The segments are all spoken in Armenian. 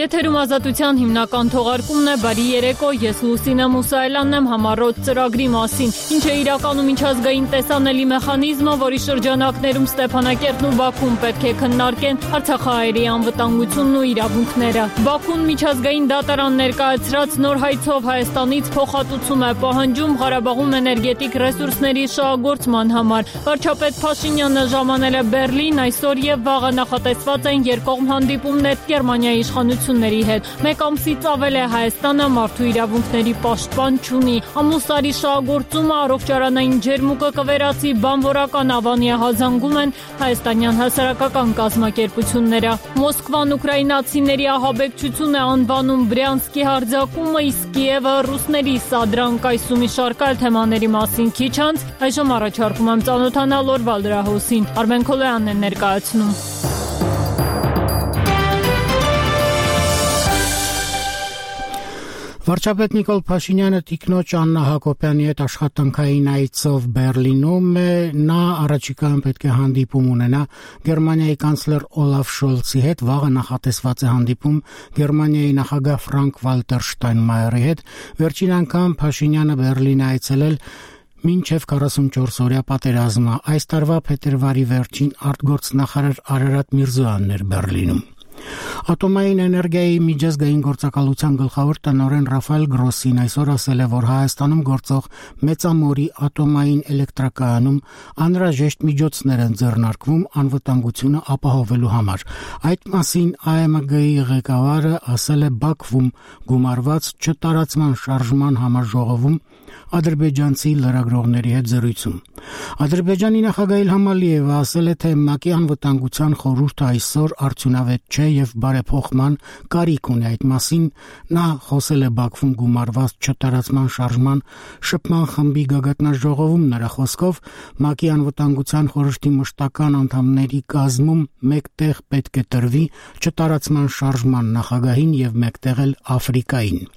Եթերում ազատության հիմնական թողարկումն է, բարի երեկո, ես Լուսինե Մուսայելյանն եմ համառոտ ծրագրի մասին, ինչ է իրականում միջազգային տեսանելի մեխանիզմը, որի շրջանակներում Ստեփանակերտն ու Բաքուն պետք է քննարկեն Արցախահայերի անվտանգությունն ու իրավունքները։ Բաքուն միջազգային դատարան ներկայացրած նոր հայցով Հայաստանից փոխհատուցում է պահանջում Ղարաբաղում էներգետիկ ռեսուրսների շահագործման համար։ Վարչապետ Փաշինյանը ժամանել է Բեռլին, այսօր եւ վաղը նախատեսված են երկկողմ հանդիպումներ Գերմանիայի իշխանությունների հետ։ Մեկ ամսից ավել է Հայաստանը մարդու իրավունքների պաշտպան չունի։ Ամուսարի շահագործումը, առողջարանային ջերմուկը կվերացի, բանվորական ավանի հազանգում են հայաստանյան հասարակական կազմակերպությունները։ Մոսկվան ուկրաինացիների ահաբեկչություն է անվանում Բրյանսկի հարձակումը, իսկ Կիևը ռուսների սադրանք, այսու մի շարք այլ թեմաների մասին քիչ անց այժմ առաջարկում եմ ծանոթանալ օրվա լրահոսին։ Արմեն Քոլոյանն է ներկայացնում։ Վարչապետ Նիկոլ Փաշինյանը տիկնոջ Աննա Հակոբյանի հետ աշխատանքային այցով Բեռլինում է, նա առաջիկայում պետք է հանդիպում ունենա Գերմանիայի կանցլեր Օլաֆ Շոլցի հետ, վաղը նախատեսված է հանդիպում Գերմանիայի նախագահ Ֆրանկ Վալտեր Շտայնմայերի հետ, վերջին անգամ Փաշինյանը Բեռլին է այցելել մինչև 44-օրյա պատերազմը, այս տարվա փետրվարի վերջին արտգործնախարար Արարատ Միրզոյանն էր Բեռլինում։ Ատոմային էներգիայի միջազգային գործակալության գլխավոր տնօրեն Ռաֆայել Գրոսին այսօր ասել է, որ Հայաստանում գործող Մեծամորի ատոմային էլեկտրակայանում անհրաժեշտ միջոցներ են ձեռնարկվում անվտանգությունը ապահովելու համար։ Այդ մասին ԱՄԳ-ի ղեկավարը ասել է Բաքվում գումարված չտարածման շարժման համաժողովում ադրբեջանցի լրագրողների հետ զրույցում։ Ադրբեջանի նախագահ Իլհամ Ալիևը ասել է, թե ՄԱԿ-ի անվտանգության խորհուրդը այսօր արդյունավետ չէ եւ բարեփոխման կարիք ունի այդ մասին։ Նա խոսել է Բաքվում գումարված չտարածման շարժման շփման խմբի գագաթնաժողովում, նրա խոսքով ՄԱԿ-ի անվտանգության խորհրդի մշտական անդամների կազմում մեկտեղ պետք է տրվի չտարածման շարժման նախագահին եւ մեկտեղ էլ Աֆրիկային։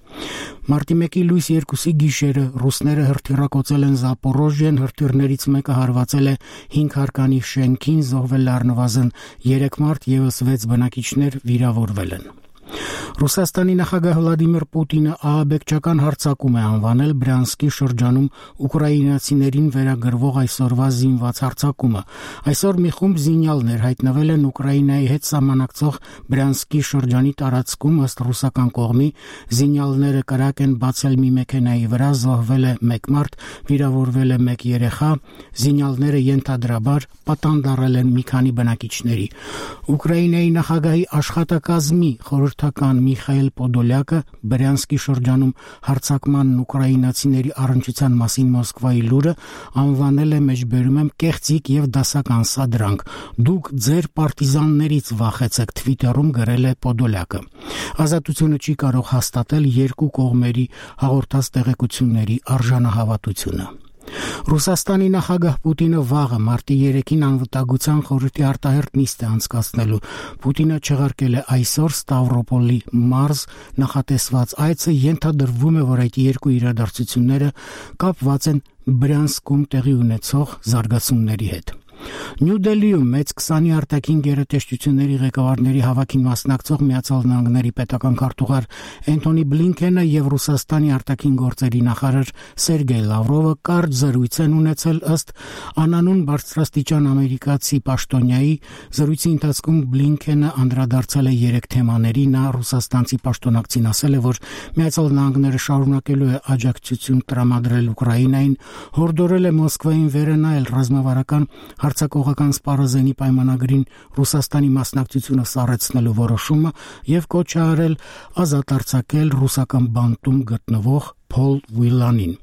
Մարտի 1-ի լույս 2-ի գիշերը ռուսները հրթիռակոծել են Զապորոժիեն, հրթիռներից մեկը հարվածել է 5 հարկանի շենքին, զոհվել առնվազն 3 մարդ, եւս 6 բնակիչներ վիրավորվել են։ Ռուսաստանի նախագահ Վլադիմիր Պուտինը ահաբեկչական հարձակում է անվանել Բրյանսկի շրջանում ուկրաինացիներին վերագրվող այսօրվա զինված հարձակումը։ Այսօր մի խումբ զինյալներ հայտնվել են Ուկրաինայի հետ սահմանակցող Բրյանսկի շրջանի տարածքում, ըստ ռուսական կողմի զինյալները կրակ են բացել մի մեքենայի վրա, զոհվել է 1 մարդ, վիրավորվել է 1 երեխա, զինյալները ենթադրաբար պատանդառել են մի քանի բնակիչների։ Ուկրաինայի նախագահի աշխատակազմի խորհրդական Միխայել Պոդոլյակը Բրյանսկի շրջանում հարձակմանն ուկրաինացիների առնչության մասին Մոսկվայի լուրը անվանել է, մեջբերում եմ, կեղծիք եւ դասական սադրանք։ Դուք ձեր պարտիզաններից վախեցեք, Թվիտերում գրել է Պոդոլյակը։ Ազատությունը չի կարող հաստատել երկու կողմերի հաղորդած տեղեկությունների արժանահավատությունը։ Ռուսաստանի նախագահ Պուտինը վաղը մարտի 3-ին անվտանգության խորհրդի արտահերթ նիստ է անցկացնելու։ Պուտինը չեղարկել է այսօր Ստավրոպոլի մարզ նախատեսված այցը, ենթադրվում է, որ այդ երկու իրադարձությունները կապված են Բրյանսկում տեղի ունեցող զարգացումների հետ։ Նյու Դելիում մեծ 20-ի արտաքին գերատեսչությունների ղեկավարների հավաքին մասնակցող Միացյալ Նահանգների պետական քարտուղար Էնթոնի Բլինքենը եւ Ռուսաստանի արտաքին գործերի նախարար Սերգեյ Լավրովը կարճ զրույց են ունեցել, ըստ անանուն բարձրաստիճան ամերիկացի պաշտոնյայի։ Զրույցի ընթացքում Բլինքենը անդրադարձել է 3 թեմաների։ Նա ռուսաստանցի պաշտոնակցին ասել է, որ Միացյալ Նահանգները շարունակելու է աջակցություն տրամադրել Ուկրաինային, հորդորել է Մոսկվային վերանայել ռազմավարական հարձակողական սպառազենի պայմանագրին Ռուսաստանի մասնակցությունը սառեցնելու որոշումը եւ կոչ արել ազատ արձակել ռուսական բանտում գտնվող Փոլ Վիլանին։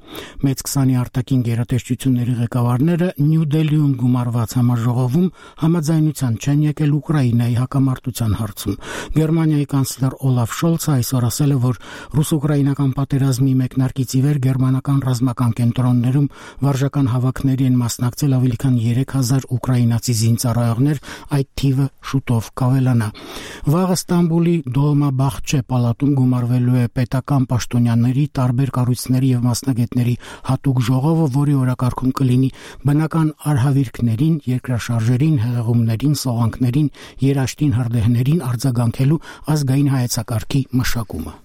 Մեծ 20-ի արտաքին գերատեսչությունների ղեկավարները Նյու Դելիում գումարված համաժողովում համաձայնության չեն եկել Ուկրաինայի հակամարտության հարցում։ Գերմանիայի կանցլեր Օլաֆ Շոլցը այսօր ասել է, որ ռուս-ուկրաինական պատերազմի մեկնարկից ի վեր գերմանական ռազմական կենտրոններում վարժական հավաքների են մասնակցել ավելի քան 3000 ուկրաինացի զինծառայողներ, այդ թիվը շուտով կավելանա։ Վաղը Ստամբուլի Դոլմաբախչե պալատում գումարվելու է պետական պաշտոնյաների, տարբեր կառույցների եւ մասնագետների հատուկ ժողովը, որի օրակարգում կլինի բնական արհավիրքներին, երկրաշարժերին, հեղեղումներին, սողանքներին, երաշտին, հրդեհներին արձագանքելու ազգային հայեցակարգի մշակումը։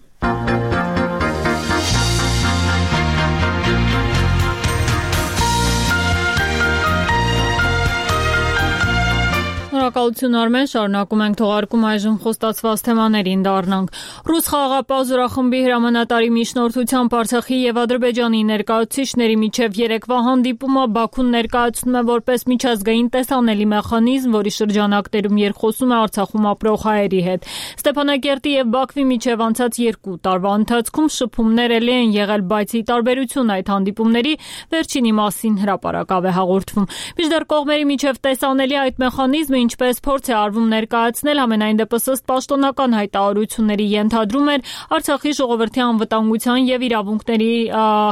Շնորհակալություն Արմեն, շարունակում ենք թողարկում այժմ խոստացված թեմաներին դառնանք։ Ռուս խաղաղապահ զորախմբի հրամանատարի միջնորդությամբ Արցախի եւ Ադրբեջանի ներկայացուցիչների միջև երեկվա հանդիպումը Բաքուն ներկայացնում է որպես միջազգային տեսանելի մեխանիզմ, որի շրջանակներում երկխոսում է Արցախում ապրող հայերի հետ։ Ստեփանակերտի եւ Բաքվի միջև անցած 2 տարվա ընթացքում շփումներ էլի են եղել, բայց ի տարբերություն այդ հանդիպումների վերջինի մասին հրապարակավ է հաղորդվում։ Մինչդեռ կողմերի միջև տեսանելի այդ մեխանիզմը ինչպես փորձ է արվում ներկայացնել, համենայն դեպս ըստ պաշտոնական հայտարարությունների ենթադրում էր Արցախի ժողովրդի անվտանգության եւ իրավունքների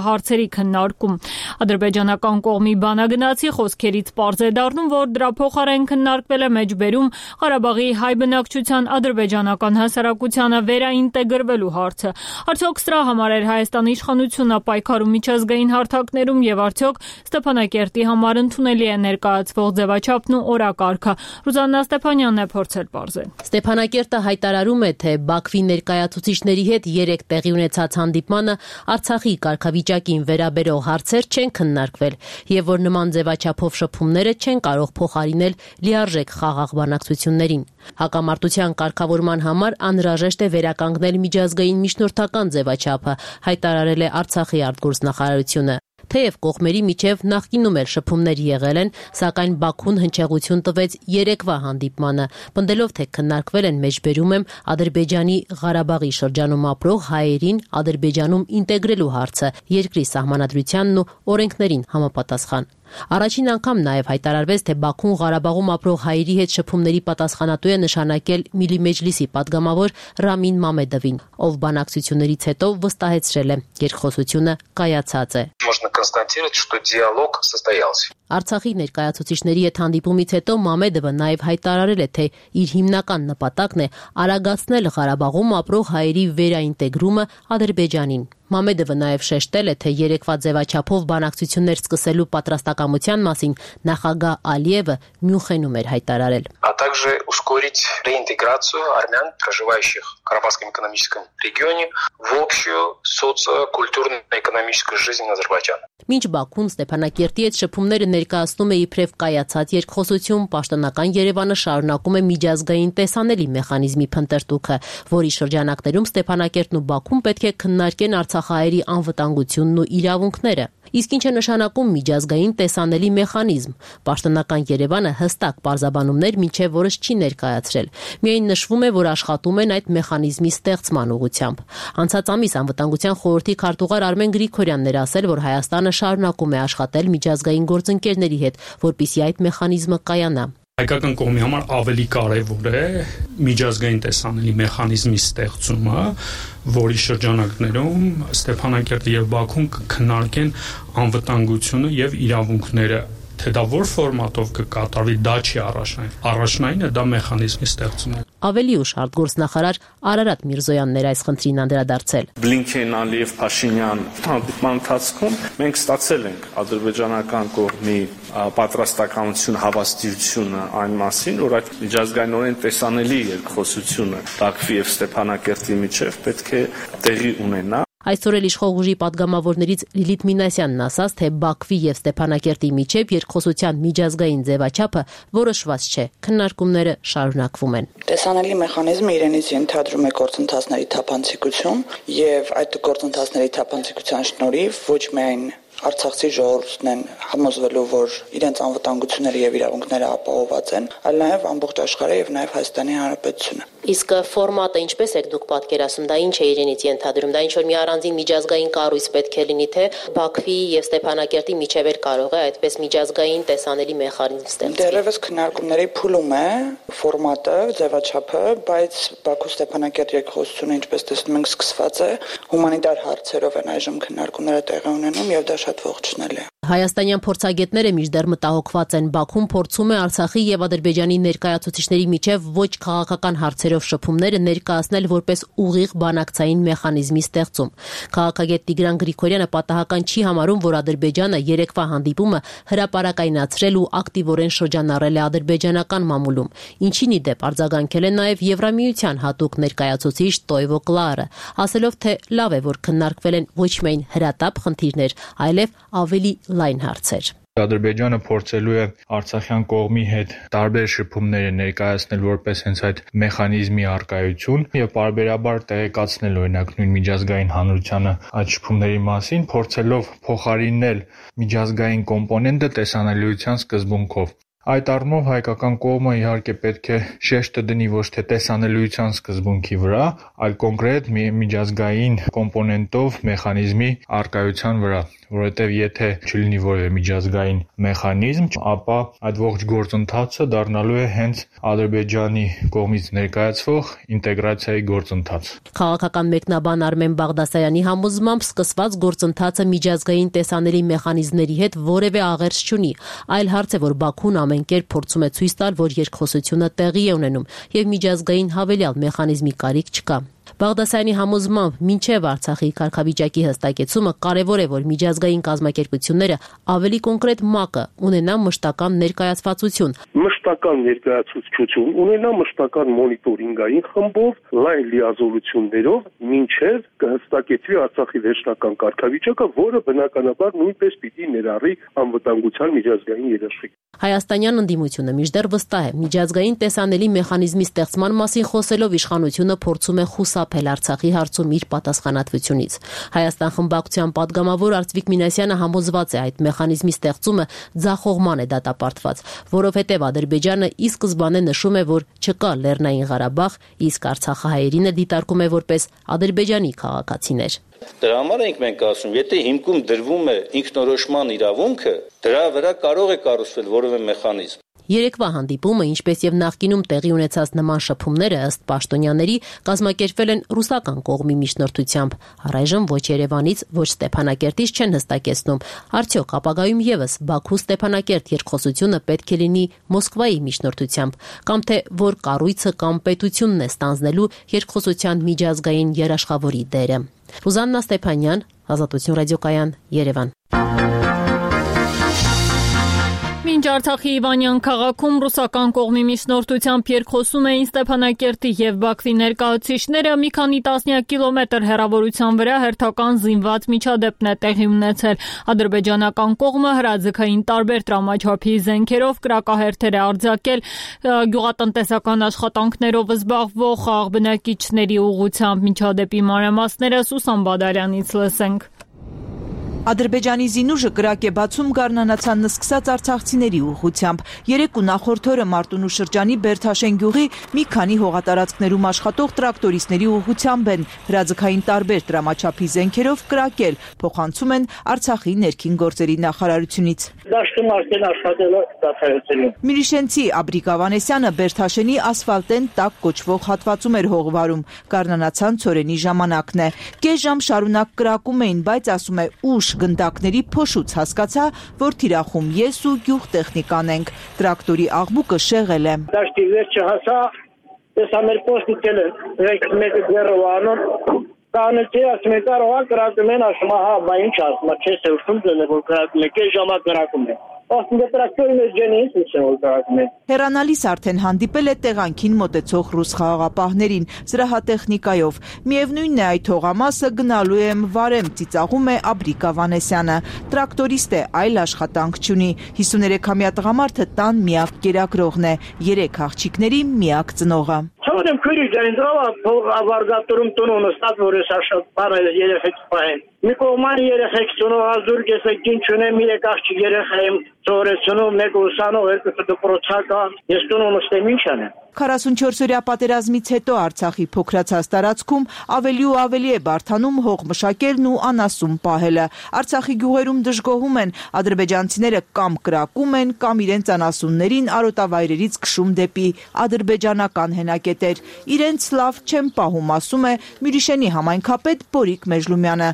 հարցերի քննարկում։ Ադրբեջանական կողմի բանագնացի խոսքերից պարզ է դառնում, որ դրա փոխարեն քննարկվել է մեջբերում Ղարաբաղի հայ բնակչության ադրբեջանական հասարակությանը վերաինտեգրվելու հարցը։ Արդյոք սրա համար էր Հայաստանի իշխանությունը պայքարում միջազգային հարթակներում եւ արդյոք Ստեփանակերտի համար ընդունելի է ներկայացվող ձևաչափն ու օրակարգը։ Ռուզաննա Ստեփանյանն է փորձել պարզել։ Ստեփանակերտը հայտարարում է, թե Բաքվի ներկայացուցիչների հետ 3 տեղի ունեցած հանդիպմանը Արցախի կարգավիճակին վերաբերող հարցեր չեն քննարկվել եւ որ նման ձևաչափով շփումները չեն կարող փոխարինել լիարժեք խաղաղ բանակցություններին։ Հակամարտության կարգավորման համար անհրաժեշտ է վերականգնել միջազգային միջնորդական ձևաչափը, հայտարարել է Արցախի արտգործնախարարությունը։ Թեև կողմերի միջև նախկինում էլ շփումներ եղել են, սակայն Բաքուն հնչեղություն տվեց երեկվա հանդիպմանը, պնդելով, թե քննարկվել են մեջբերում եմ Ադրբեջանի Ղարաբաղի շրջանում ապրող հայերին Ադրբեջանում ինտեգրելու հարցը, երկրի սահմանադրությանն ու օրենքներին համապատասխան։ Առաջին անգամ նաև հայտարարվեց, թե Բաքուն Ղարաբաղում ապրող հայերի հետ շփումների պատասխանատու է նշանակել Միլի Մեջլիսի падգամավոր Ռամին Մամեդովին, ով բանակցություններից հետո վստահեցրել է, երկխոսությունը կայացած է։ Можно констатировать, что диалог состоялся. Արցախի ներկայացուցիչների հետ հանդիպումից հետո Մամեդովը նաև հայտարարել է, թե իր հիմնական նպատակն է արագացնել Ղարաբաղում ապրող հայերի վերաինտեգրումը Ադրբեջանին։ Մամեդովը նաև շեշտել է, թե երեկվա ձևաչափով բանակցություններ սկսելու պատրաստակամության մասին նախագահ Ալիևը Մյունխենում էր հայտարարել։ А также ускорить реинтеграцию армян, проживающих в Карабахском экономическом регионе, в общую социокультурно-экономическую жизнь Азербайджана. Մինչ Բաքուն Ստեփանակերտի հետ շփումները ներկայացնում է իբրև կայացած երկխոսություն, պաշտոնական Երևանը շարունակում է միջազգային տեսանելի մեխանիզմի փնտրտուքը, որի շրջանակներում Ստեփանակերտն ու Բաքուն պետք է քննարկեն արցախահայերի անվտանգությունն ու իրավունքները։ Իսկ ինչ է նշանակում միջազգային տեսանելի մեխանիզմ։ Պաշտոնական Երևանը հստակ պարզաբանումներ մինչև օրս չի ներկայացրել։ Միայն նշվում է, որ աշխատում են այդ մեխանիզմի ստեղծման ուղղությամբ։ Անցած ամիս Անվտանգության խորհրդի քարտուղար Արմեն Գրիգորյանն էր ասել, որ Հայաստանը շարունակում է աշխատել միջազգային գործընկերների հետ, որպեսզի այդ մեխանիզմը կայանա։ Հայկական կողմի համար ավելի կարևոր է միջազգային տեսանելի մեխանիզմի ստեղծումը, որի շրջանակներում Ստեփանակերտը եւ Բաքուն կքննարկեն անվտանգությունը եւ իրավունքները, թե դա որ ֆորմատով կկատարվի, դա չի առաջնային։ Առաջնայինը դա մեխանիզմի ստեղծումն է։ Ավելի ուշ արտգործնախարար Արարատ Միրզոյանն էր այս խնդրին անդրադարձել։ Բլինքեն, Ալիև, Փաշինյան հանդիպման ընթացքում մենք ստացել ենք ադրբեջանական կողմի պատրաստականություն, հավաստիությունը այն մասին, որ այդ միջազգայինորեն տեսանելի երկխոսությունը Բաքվի եւ Ստեփանակերտի միջև պետք է տեղի ունենա։ Այսօր էլ իշխող ուժի падգամավորներից Լիլիթ Մինասյանն ասաց, թե Բաքվի եւ Ստեփանակերտի միջև երկխոսության միջազգային ձևաչափը որոշված չէ, քննարկումները շարունակվում են։ Տեսանելի մեխանիզմը իրենից ենթադրում է գործընթացների թափանցիկություն եւ այդ գործընթացների թափանցիկության շնորհիվ ոչ միայն Արցախցի ժողովուրդն են համոզվելու, որ իրենց անվտանգությունները եւ իրավունքները ապահովված են, այլ նաեւ ամբողջ աշխարհը եւ նաեւ Հայաստանի Հանրապետությունը։ Իսկ ֆորմատը ինչպես եք դուք պատկերացնում, դա ինչ է իրենից ենթադրում, դա ինչ որ մի առանձին միջազգային կառույց պետք է լինի, թե Բաքվի եւ Ստեփանակերտի միջև էլ կարող է այդպես միջազգային տեսանելի մեխանիզմ ստեղծվել։ Դեռևս քննարկումների փուլում է ֆորմատը, ձևաչափը, բայց Բաքու-Ստեփանակերտ երկխոսությունը, ինչպես տեսնում ենք, սկսված է, հումանիտար հարցերով են այժմ քննարկումները տեղի ունենում եւ դա շատ ողջունելի է։ Հայաստանյան փորձագետները մինչդեռ մտահոգված են։ Բաքուն փորձում է Արցախի եւ Ադրբեջանի ներկայացուցիչների միջև ոչ քաղաքական հարցերով շփումները ներկայացնել որպես ուղիղ բանակցային մեխանիզմի ստեղծում։ Քաղաքագետ Տիգրան Գրիգորյանը պատահական չի համարում, որ Ադրբեջանը երեկվա հանդիպումը հրապարակայնացրել ու ակտիվորեն շրջանառել է ադրբեջանական մամուլում, ինչին ի դեպ արձագանքել է նաեւ Եվրամիության հատուկ ներկայացուցիչ Տոյվո Կլարը, ասելով, թե լավ է, որ քննարկվել են ոչ միայն հրատապ խնդիրներ, այլև ավելի լայն հարցեր։ Ադրբեջանը փորձելու է արցախյան կողմի հետ տարբեր շփումները ներկայացնել որպես հենց այդ մեխանիզմի առկայություն եւ պարբերաբար տեղեկացնել օրինակ նույն միջազգային հանրությանը այդ շփումների մասին, փորձելով փոխարինել միջազգային կոմպոնենտը տեսանելիության սկզբունքով։ Այդ առումով հայկական կողմը իհարկե պետք է շեշտը դնի ոչ թե տեսանելիության սկզբունքի վրա, այլ կոնկրետ միջազգային կոմպոնենտով մեխանիզմի առկայության վրա, որովհետև եթե չլինի որևէ միջազգային մեխանիզմ, ապա այդ ողջ գործընթացը դառնալու է հենց Ադրբեջանի կողմից ներկայացվող ինտեգրացիայի գործընթաց։ Քաղաքական մեկնաբան Արմեն Բաղդասարյանի համոզմամբ սկսված գործընթացը միջազգային տեսանելի մեխանիզմների հետ որևէ աղերս չունի, այլ հարց է, որ Բաքուն ամեն կերպ փորձում է ցույց տալ, որ երկխոսությունը տեղի է ունենում եւ միջազգային հավելյալ մեխանիզմի կարիք չկա։ Բաղդասարյանի համոզմամբ մինչև Արցախի կարգավիճակի հստակեցումը կարևոր է, որ միջազգային կազմակերպությունները ավելի կոնկրետ մակը ունենան մշտական ներկայացվածություն։ Մշտական ներկայացուցչություն ունենա մշտական մոնիտորինգային խմբով, լայն լիազորություններով, մինչև կհստակեցվի Արցախի վերջնական կարգավիճակը, որը բնականաբար նույնպես պիտի ներառի անվտանգության միջազգային երաշխիք։ Հայաստանյան ընդդիմությունը մինչդեռ վստահ է, միջազգային տեսանելի մեխանիզմի ստեղծման մասին խոսելով իշխանությունը փորձում է խուսափել Արցախի հարցում իր պատասխանատվությունից։ Հայաստան խմբակցության падգամավոր Արծվիկ Մինասյանը համոզված է, այդ մեխանիզմի ստեղծումը ձախողման է դատապարտված, որովհետև Ադրբեջանը ի սկզբանե նշում է, որ չկա Լեռնային Ղարաբաղ, իսկ արցախահայերին դիտարկում է որպես ադրբեջանի քաղաքացիներ։ Դրա համար ենք մենք ասում, եթե հիմքում դրվում է ինքնորոշման իրավունքը, դրա վրա կարող է կառուցվել որևէ մեխանիզմ։ Երեկվա հանդիպումը, ինչպես եւ նախկինում տեղի ունեցած նման շփումները ըստ պաշտոնյաների, կազմակերպվել են ռուսական կողմի միջնորդությամբ։ Առայժմ ոչ Երևանից, ոչ Ստեփանակերտից չեն հստակեցնում, արդյոք ապագայում եւս Բաքու-Ստեփանակերտ երկխոսությունը պետք է լինի Մոսկվայի միջնորդությամբ, կամ թե որ կառույցը կամ պետությունն է ստանձնելու երկխոսության միջազգային երաշխավորի դերը։ Ռուզաննա Ստեփանյան, Ազատություն ռադիոկայան, Երևան։ Մինչ Արցախի Իվանյան քաղաքում ռուսական կողմի միջնորդությամբ երկխոսում էին Ստեփանակերտի եւ Բաքվի ներկայացուցիչները, մի քանի տասնյակ կիլոմետր հեռավորության վրա հերթական զինված միջադեպն է տեղի ունեցել։ Ադրբեջանական կողմը հրաձգային տարբեր տրամաչափի զենքերով կրակահերթեր է արձակել գյուղատնտեսական աշխատանքներով զբաղվող խաղաղ բնակիչների ուղղությամբ։ Միջադեպի մանրամասները Սուսան Բադալյանից լսենք։ Ադրբեջանի զինուժը կրակ է բացում գարնանացան նսկսած արցախցիների ուղղությամբ։ Երեկ ու նախորդ օրը Մարտունու շրջանի Բերթաշեն գյուղի մի քանի հողատարածքներում աշխատող տրակտորիստների ուղղությամբ են հրաձգային տարբեր տրամաչափի զենքերով կրակել, փոխանցում են Արցախի ներքին գործերի նախարարությունից։ Դաշտում արդեն աշխատել է դասայությունում։ Միրիշենցի Աբրիկ Ավանեսյանը Բերթաշենի ասֆալտեն տակ կոչվող հատվածում էր հողվարում։ Գարնանացան ցորենի ժամանակն է։ Կես ժամ շարունակ կրակում էին, բայց ասում է ուշ գնդակների փոշուց հասկացա, որ թիրախում ես ու գյուղ տեխնիկան ենք։ Տրակտորի աղմուկը շեղել է։ Դաշտի վերջը հասա, ես ամեր պոստիկել եմ, մեկը ձեռով անում, կանեցի ասում է կարող է կրակում են, ասում է հա, բա ինչ ասում է, չես է ուշում ձեն է, որ կրակում է, կես ժամա կրակում է։ Հեռանալիս արդեն հանդիպել է տեղանքին մոտեցող ռուս խաղաղապահներին զրահատեխնիկայով։ Միևնույնն է այդ հողամասը գնալու եմ վարեմ, ծիծաղում է Աբրիկ Ավանեսյանը։ Տրակտորիստ է, այլ աշխատանք չունի։ 53-ամյա տղամարդը տան միակ կերակրողն է, 3 աղջիկների միակ ծնողը։ Չորեմ քույրի ջան, դրով ավարգատուրում տունը ստաց որ ես աշխատում բարել երեխեք պահեն։ Մի կողման երեխեք ծնող ազուրգ ես եկին չունեմ, 3 աղջիկ երեխա եմ ծորեցնում, մեկ ուսանող, երկուսը դպրոցական, ես տունը ստեմ ինչ անեմ։ 44-օրյա պատերազմից հետո Արցախի փոքրացած տարածքում ավելի ու ավելի է բարդանում հող մշակելն ու անասուն պահելը։ Արցախի գյուղերում դժգոհում են, ադրբեջանցիները կամ կրակում են, կամ իրենց անասուններին արոտավայրերից քշում դեպի ադրբեջանական հենակետեր։ Իրենց լավ չեն պահում, ասում է Միրիշենի համայնքապետ Բորիկ Մեժլումյանը։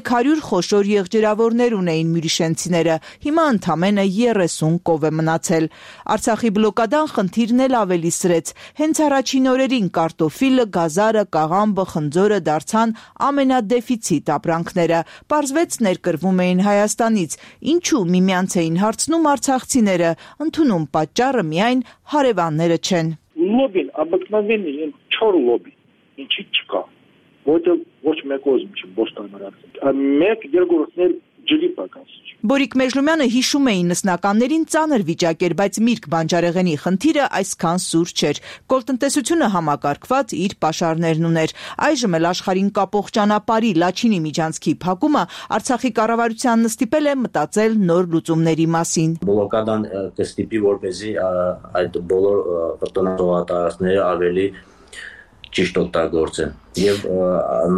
300 խոշոր եղջերավորներ ունեին մյուրիշենցիները, հիմա ընդամենը 30 կով է մնացել։ Արցախի բլոկադան խնդիրն էլ ավելի սրեց։ Հենց առաջին օրերին կարտոֆիլը, գազարը, կաղամբը, խնձորը դարձան ամենադեֆիցիտ ապրանքները։ Պարզվեց ներկրվում էին Հայաստանից։ Ինչու միմյանց էին հարցնում արցախցիները, ընդունում պատճառը միայն հարևանները չեն։ Լոբին, обыкновенный, չոր լոբի, ինչի չկա, ոչ մեկ ոզմ չի բոստանարած, մեկ երկրորդներ ջրի պակաս։ Բորիկ Մեժլումյանը հիշում էին նսնականներին ծանր վիճակ էր, բայց Միրգ բանջարեղենի խնդիրը այսքան սուր չէր։ Կոլտնտեսությունը համակարգված իր պաշարներն ուներ։ Այժմ էլ աշխարհին կապող ճանապարհի Լաչինի միջանցքի փակումը Արցախի կառավարությանն ստիպել է մտածել նոր լուծումների մասին։ Բլոկադան կստիպի, որպեսզի այդ բոլոր կրտոնահողատարածքները ավելի ճիշտ օգտագործեն։ Եվ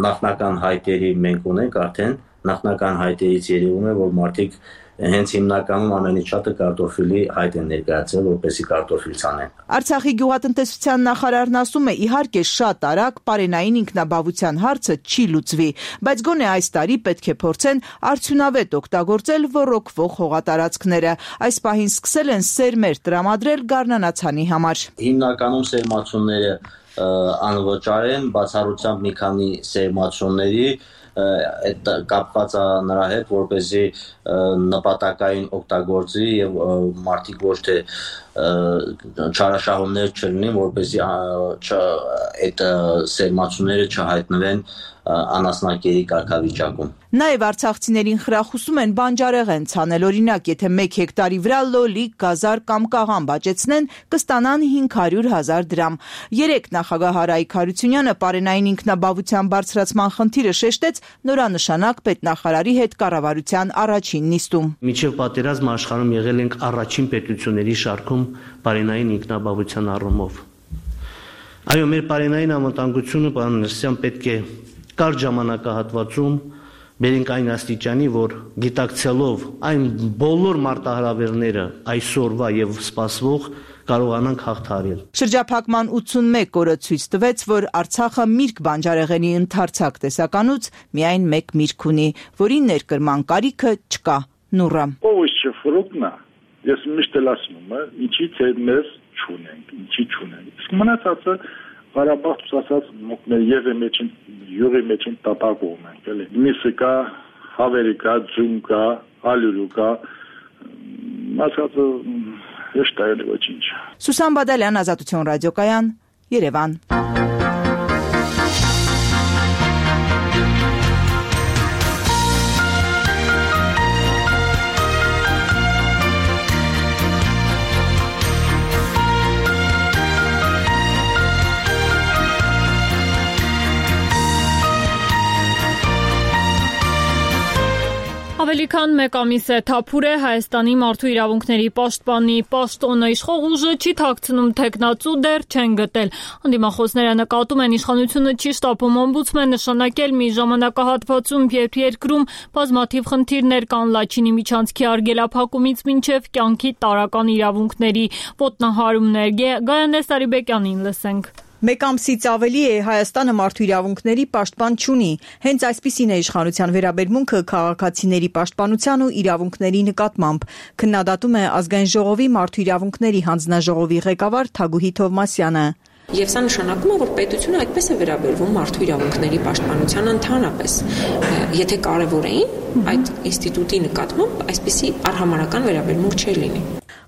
նախնական հայտերի մենք ունենք արդեն նախնական հայտերից երևում է, որ մարդիկ հենց հիմնականում ամենից շատը կարտոֆիլի հայտ են ներկայացրել, որպեսզի կարտոֆիլ ցանեն։ Արցախի գյուղատնտեսության նախարարն ասում է, իհարկե շատ արագ պարենային ինքնաբավության հարցը չի լուծվի, բայց գոնե այս տարի պետք է փորձեն արդյունավետ օգտագործել ոռոգվող հողատարածքները։ Այս պահին սկսել են սերմեր տրամադրել գարնանացանի համար։ Հիմնականում սերմացունները անվճար են, բացառությամբ մի քանի սերմացունների այդ կապված է նրա հետ, որպեսզի նպատակային օգտագործի եւ մարդիկ ոչ թե չարաշահումներ չլինեն, որպեսզի այդ սերմացուները չհայտնվեն անասնակերի կարգավիճակում։ Նաև արցախցիներին խրախուսում են բանջարեղեն ցանել, օրինակ, եթե 1 հեկտարի վրա լոլիկ, գազար կամ կաղամբ աճեցնեն, կստանան 500,000 դրամ։ Երեկ նախագահ Արայիկ Հարությունյանը պարենային ինքնաբավության բարձրացման խնդիրը շեշտեց նորանշանակ պետնախարարի հետ կառավարության առաջին նիստում։ Մինչև պատերազմ աշխարհում եղել ենք առաջին պետությունների շարքում պարենային ինքնաբավության առումով։ Այո, մեր պարենային անվտանգությունը, պարոն Ներսյան, պետք է կարճ ժամանակահատվածում բերենք այն աստիճանի, որ գիտակցելով այն բոլոր մարտահրավերները այսօրվա եւ սպասվող կարողանանք հաղթահարել։ Շրջափակման 81 օրը ցույց տվեց, որ Արցախը Միրգ բանջարեղենի ընդարձակ տեսականուց միայն մեկ միրգ ունի, որի ներկրման կարիքը չկա։ Նուրը։ Овощи, ֆրուկտը, ես միշտ էլ ասում եմ, ինչի թե մեզ չունենք, ինչի չունենք։ Իսկ մնացածը Ղարաբաղ ասած մեր յուղի մեջ տապակում ենք, էլի։ Միսը կա, հավերի կա, ձուն կա, ալյուրու կա, ասածը հեշտ է ոչինչ։ Սուսան Բադալյան, Ազատություն ռադիոկայան, Երևան։ Ավելի քան մեկ ամիս է թափուր է Հայաստանի մարդու իրավունքների պաշտպանի պաշտոնը, իշխող ուժը չի թաքցնում թեկնածու դեռ չեն գտել։ Անդիմախոսները նկատում են իշխանությունը չի շտապում օմբուդսմեն նշանակել մի ժամանակահատվածում, երբ երկրում բազմաթիվ խնդիրներ կան Լաչինի միջանցքի արգելափակումից մինչև կյանքի տարրական իրավունքների ոտնահարումներ։ Գայանե Սարիբեկյանին լսենք։ Մեկ ամսից ավելի է Հայաստանը մարդու իրավունքների պաշտպան չունի։ Հենց այսպիսին է իշխանության վերաբերմունքը քաղաքացիների պաշտպանության ու իրավունքների նկատմամբ։ Քննադատում է Ազգային ժողովի մարդու իրավունքների հանձնաժողովի ղեկավար Թագուհի Թովմասյանը։ Եվ սա նշանակում է, որ պետությունը այդպես է վերաբերվում մարդու իրավունքների պաշտպանությանը ընդհանրապես։ Եթե կարևոր էին, այդ ինստիտուտի նկատմամբ այսպիսի արհամարհական վերաբերմունք չէր լինի։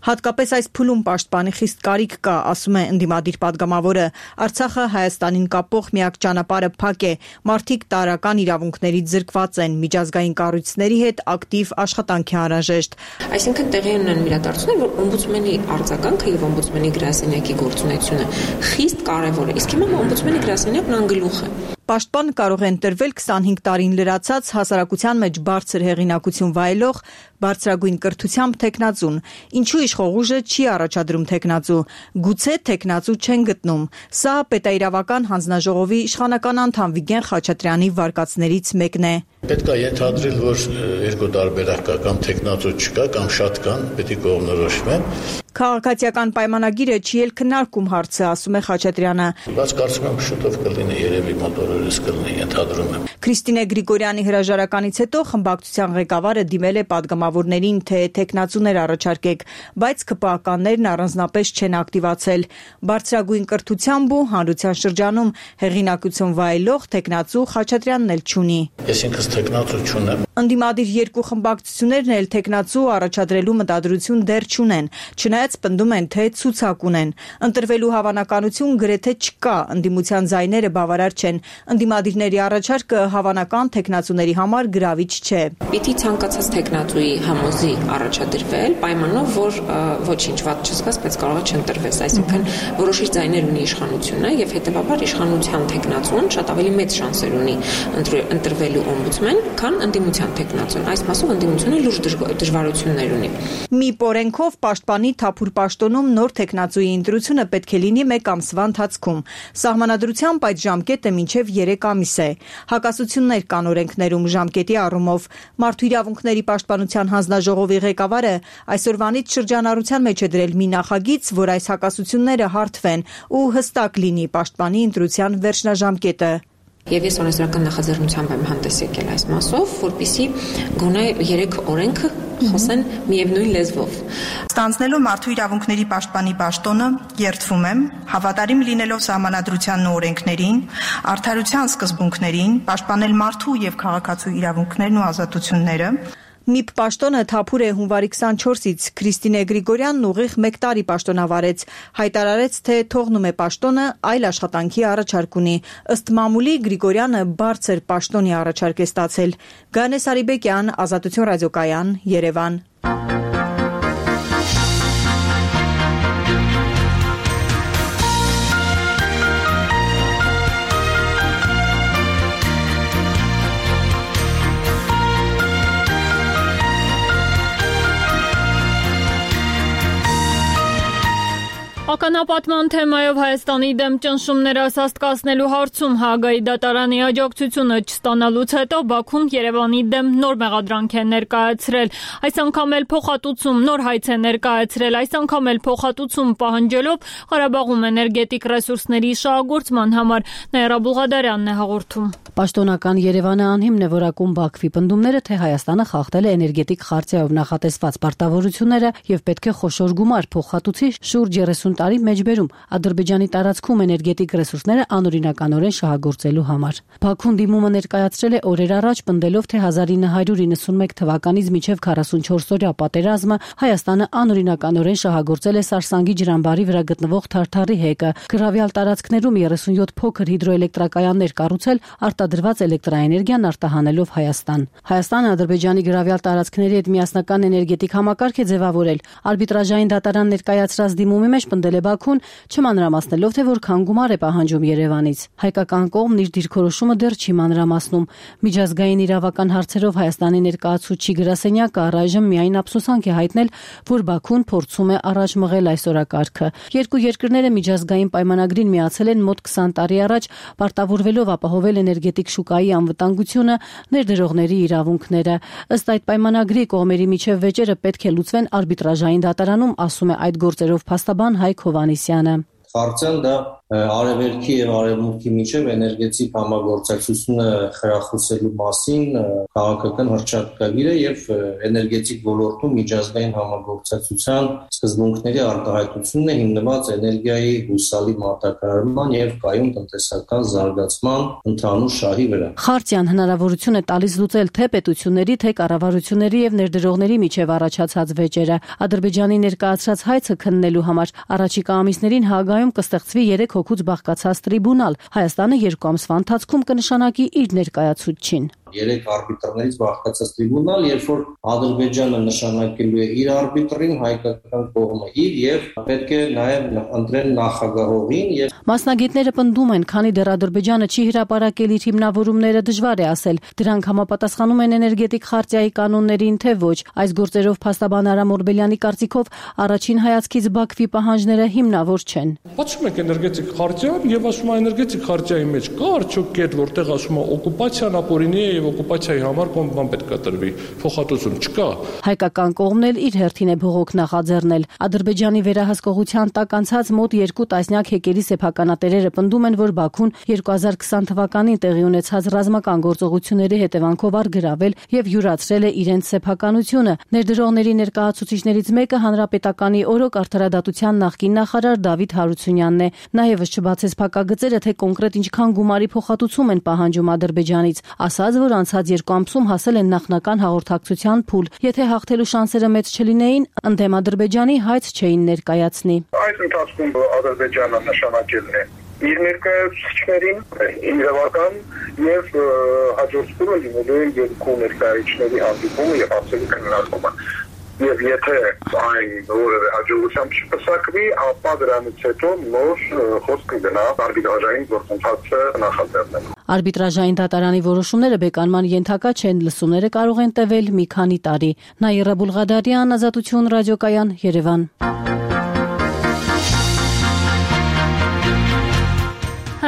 Հատկապես այս փուլում պաշտպանի խիստ կարիք կա, ասում է ընդդիմադիր պատգամավորը։ Արցախը Հայաստանին կապող միակ ճանապարհը փակ է, մարդիկ տարրական իրավունքներից զրկված են, միջազգային կառույցների հետ ակտիվ աշխատանք է անհրաժեշտ։ Այսինքն տեղի ունեն իրադարձություններ, որ օմբուդսմենի արձագանքը եւ օմբուդսմենի գրասենյակի գործունեությունը խիստ կարևոր է, իսկ հիմա օմբուդսմենի գրասենյակն անգլուխ է։ Պաշտպան կարող է ընտրվել 25 տարին լրացած հասարակության մեջ բարձր հեղինակություն վայելող բարձրագույն կրթությամբ թեկնածուն։ Ինչու իշխող ուժը չի առաջադրում թեկնածու։ Գուցե թեկնածու չեն գտնում։ Սա պետաիրավական հանձնաժողովի իշխանական անդամ Վիգեն Խաչատրյանի վարկածներից մեկն է։ Պետք է ենթադրել, որ երկու տարբերակ կա, կամ տեխնացու չկա, կամ շատ կան, պետք է կողմնորոշվեն։ Քաղաքացիական պայմանագիրը չի էլ քննարկում հարցը, ասում է Խաչատրյանը։ Բայց կարծում եմ շուտով կլինի, երևի մոտորորից կլինի, ենթադրում եմ։ Քրիստինե Գրիգորյանի հրաժարականից հետո խմբակցության ղեկավարը դիմել է պատգամավորներին, թե տեխնացուներ առաջարկեք, բայց ԿՊԱ-ականներն առանձնապես չեն ակտիվացել։ Բարձրագույն կրթությամբ ու հանրության շրջանում հեղինակություն վայելող տեխնացու Խաչատրյանն էլ չունի։ Ես ինքս տեխնացու չունեմ։ Ընդդիմադիր երկու խմբակցություններն էլ տեխնացու առաջադրելու մտադրություն դեռ չունեն, չնայած պնդում են, թե ցուցակ ունեն։ Ընտրվելու հավանականություն գրեթե չկա, ընդդիմության ձայները բավարար չեն։ Ընդդիմադիրների առաջարկը հավանական տեխնացուների համար գրավիչ չէ։ Պիտի ցանկացած տեխնացուի համոզի առաջադրվել, պայմանով, որ ոչինչ վատ չզգաս, բայց կարող է չընտրվես, այսինքն որոշիչ ձայներ ունի իշխանությունը եւ հետեւաբար իշխանության տեխնացուն շատ ավելի մեծ շանսեր ունի ընտրվելու օմբուդսմեն, քան ընդդիմության տեխնացուն։ Այս մասով ընդդիմությունը լուրջ դժվարություններ ունի։ Մի օրենքով պաշտպանի Թափուր պաշտոնում նոր տեխնացուի ընտրությունը պետք է լինի 1 ամսվա ընթացքում։ Սահմանադրությամբ այդ ժամկետը մինչև 3 ամիս է։ Հակասություններ կան օրենքներում ժամկետի առումով։ Մարդու իրավունքների պաշտպանության հանձնաժողովի ղեկավարը այսօրվանից շրջանառության մեջ է դրել մի նախագիծ, որ այս հակասությունները հարթվեն ու հստակ լինի պաշտպանի ընտրության վերջնաժամկետը։ Եվ ես օրենսդրական նախաձեռնությամբ եմ հանդես եկել այս մասով, որպեսզի գոնե 3 օրենքը խոսեն միևնույն լեզվով։ Ստանձնելով մարդու իրավունքների պաշտպանի պաշտոնը, երդվում եմ, հավատարիմ լինելով սահմանադրությանն ու օրենքներին, արդարության սկզբունքներին, պաշտպանել մարդու եւ քաղաքացու իրավունքներն ու ազատությունները։ ՄԻՊ պաշտոնը Թափուր է հունվարի 24-ից, Քրիստինե Գրիգորյանն ուղիղ 1 տարի պաշտոնավարեց, հայտարարեց, թե թողնում է պաշտոնը, այլ աշխատանքի առաջարկ ունի։ Ըստ մամուլի Գրիգորյանը բարձր պաշտոնի առաջարկ է ստացել։ Գանե Սարիբեկյան, Ազատություն ռադիոկայան, Երևան։ Ականապատման թեմայով Հայաստանի դեմ ճնշումները սաստկացնելու հարցում Հաագայի դատարանի աջակցությունը չստանալուց հետո Բաքուն Երևանի դեմ նոր մեղադրանք է ներկայացրել։ Այս անգամ էլ փոխհատուցում նոր հայց է ներկայացրել, այս անգամ էլ փոխհատուցում պահանջելով Ղարաբաղում էներգետիկ ռեսուրսների շահագործման համար։ Նաիրա Բուղադարյանն է հաղորդում։ Պաշտոնական Երևանը անհիմն է որակում Բաքվի պնդումները, թե Հայաստանը խախտել է էներգետիկ խարտիայով նախատեսված պարտավորությունները եւ պետք է խոշոր գումար փոխհատուցի շուրջ 30 տարի մեջբերում Ադրբեջանի տարածքում էներգետիկ ռեսուրսները անօրինականորեն շահագործելու համար։ Բաքուն դիմումը ներկայացրել է օրեր առաջ, պնդելով, թե 1991 թվականից մինչև 44-օրյա պատերազմը Հայաստանը անօրինականորեն շահագործել է Սարսանգի ջրամբարի վրա գտնվող Թարթարի հեկը, գրավյալ տարածքներում 37 փոքր հիդրոէլեկտրակայաններ կառուցել, արտադրված էլեկտրաէներգիան արտահանելով Հայաստան։ Հայաստանը Ադրբեջանի գրավյալ տարածքների հետ միասնական էներգետիկ համակարգ է ձևավորել։ Արբիտրաժային դատարան ներկայացրած դիմումի մեջ պնդել է Բաքուն, չմանրամասնելով, թե որքան գումար է պահանջում Երևանից։ Հայկական կողմն իր դիրքորոշումը դեռ չի մանրամասնում։ Միջազգային իրավական հարցերով Հայաստանի ներկայացուցիչ գրասենյակը առայժմ միայն ափսոսանք է հայտնել, որ Բաքուն փորձում է առաջ մղել այս օրակարգը։ Երկու երկրները միջազգային պայմանագրին միացել են մոտ 20 տարի առաջ, պարտավորվելով ապահովել էներգետիկ շուկայի անվտանգությունը, ներդրողների իրավունքները։ Ըստ այդ պայմանագրի կողմերի միջև վեճերը պետք է լուծվեն արբիտրաժային դատարանում, ասում է այդ գործերով փաստաբան Հայկ Հովհաննիսյանը։ Խարտիան դա արևելքի եւ արևմուտքի միջև էներգետիկ համագործակցությունը խրախուսելու մասին քաղաքական հռչակագիր է եւ էներգետիկ ոլորտում միջազգային համագործակցության սկզբունքների արտահայտությունն է հիմնված էներգիայի հուսալի մատակարարման եւ կայուն տնտեսական զարգացման ընդհանուր շահի վրա։ Խարտիան հնարավորություն է տալիս լուծել թե պետությունների, թե կառավարությունների եւ ներդրողների միջև առաջացած վեճերը։ Ադրբեջանի ներկայացրած հայցը քննելու համար առաջիկա ամիսներին Հաագայում կստեղծվի 3 հոգուց բաղկացած տրիբունալ։ Հայաստանը 2 ամսվա ընթացքում կնշանակի իր ներկայացուցչին։ 3 արբիտրներից բաղկացած տրիբունալ, երբ որ Ադրբեջանը նշանակելու է իր արբիտրին, հայկական կողմը իր եւ պետք է նաեւ ընտրեն նախագահողին եւ Մասնագետները պնդում են, քանի դեռ Ադրբեջանը չի հրապարակել իր հիմնավորումները, դժվար է ասել, դրանք համապատասխանում են էներգետիկ խարտիայի կանոններին, թե ոչ։ Այս գործերով փաստաբան Արամ Օրբելյանի կարծիքով առաջին հայացքից Բաքվի պահանջները հիմնավոր չեն։ Բացում եք էներգետիկ խարտիան եւ ասում է էներգետիկ խարտիայի մեջ կա արդյոք կետ, որտեղ ասում է օկուպացիան ապօրինի է եւ օկուպացիայի համար բան պետք է տրվի, փոխհատուցում չկա։ Հայկական կողմն էլ իր հերթին է բողոք նախաձեռնել։ Ադրբեջանի վերահսկողության տակ անցած մոտ 2 տասնյակ հեկերի սեփականատերերը պնդում են, որ Բաքուն 2020 թվականին տեղի ունեցած ռազմական գործողությունների հետևանքով առգրավել եւ յուրացրել է իրենց սեփականությունը։ Ներդրողների ներկայացուցիչներից մեկը հանրապետականի օրոք արդարադատության նախկին նախարար Դավիթ Հարությունյանն է։ Նա եւս չբացեց փակագծերը, թե կոնկրետ ինչքան գումարի փոխհատուցում են պահանջում Ադրբեջանից, ասաց, որ անցած 2 ամսում հասել են նախնական հաղորդակցության փուլ։ Եթե հաղթելու շանսերը մեծ չլինեին, ընդդեմ Ադրբեջանի հայց չէին ներկայացնի։ Այս ընթացքում Ադրբեջանը նշանակել է իր ներկայացուցիչներին իրավական եւ հաջորդ փուլը լինելու է երկու ներկայացուցիչների հանդիպումը եւ հարցերի քննարկումը։ Եվ եթե այն որևէ հաջողությամբ չպսակվի, ապա դրանից հետո նոր խոսքը գնա արբիտրաժային գործընթացը նախաձեռնելու։ Արբիտրաժային դատարանի որոշումները բեկանման ենթակա չեն, լսումները կարող են տևել մի քանի տարի։ Նաիրա Բուլղադարյան, Ազատություն ռադիոկայան, Երևան։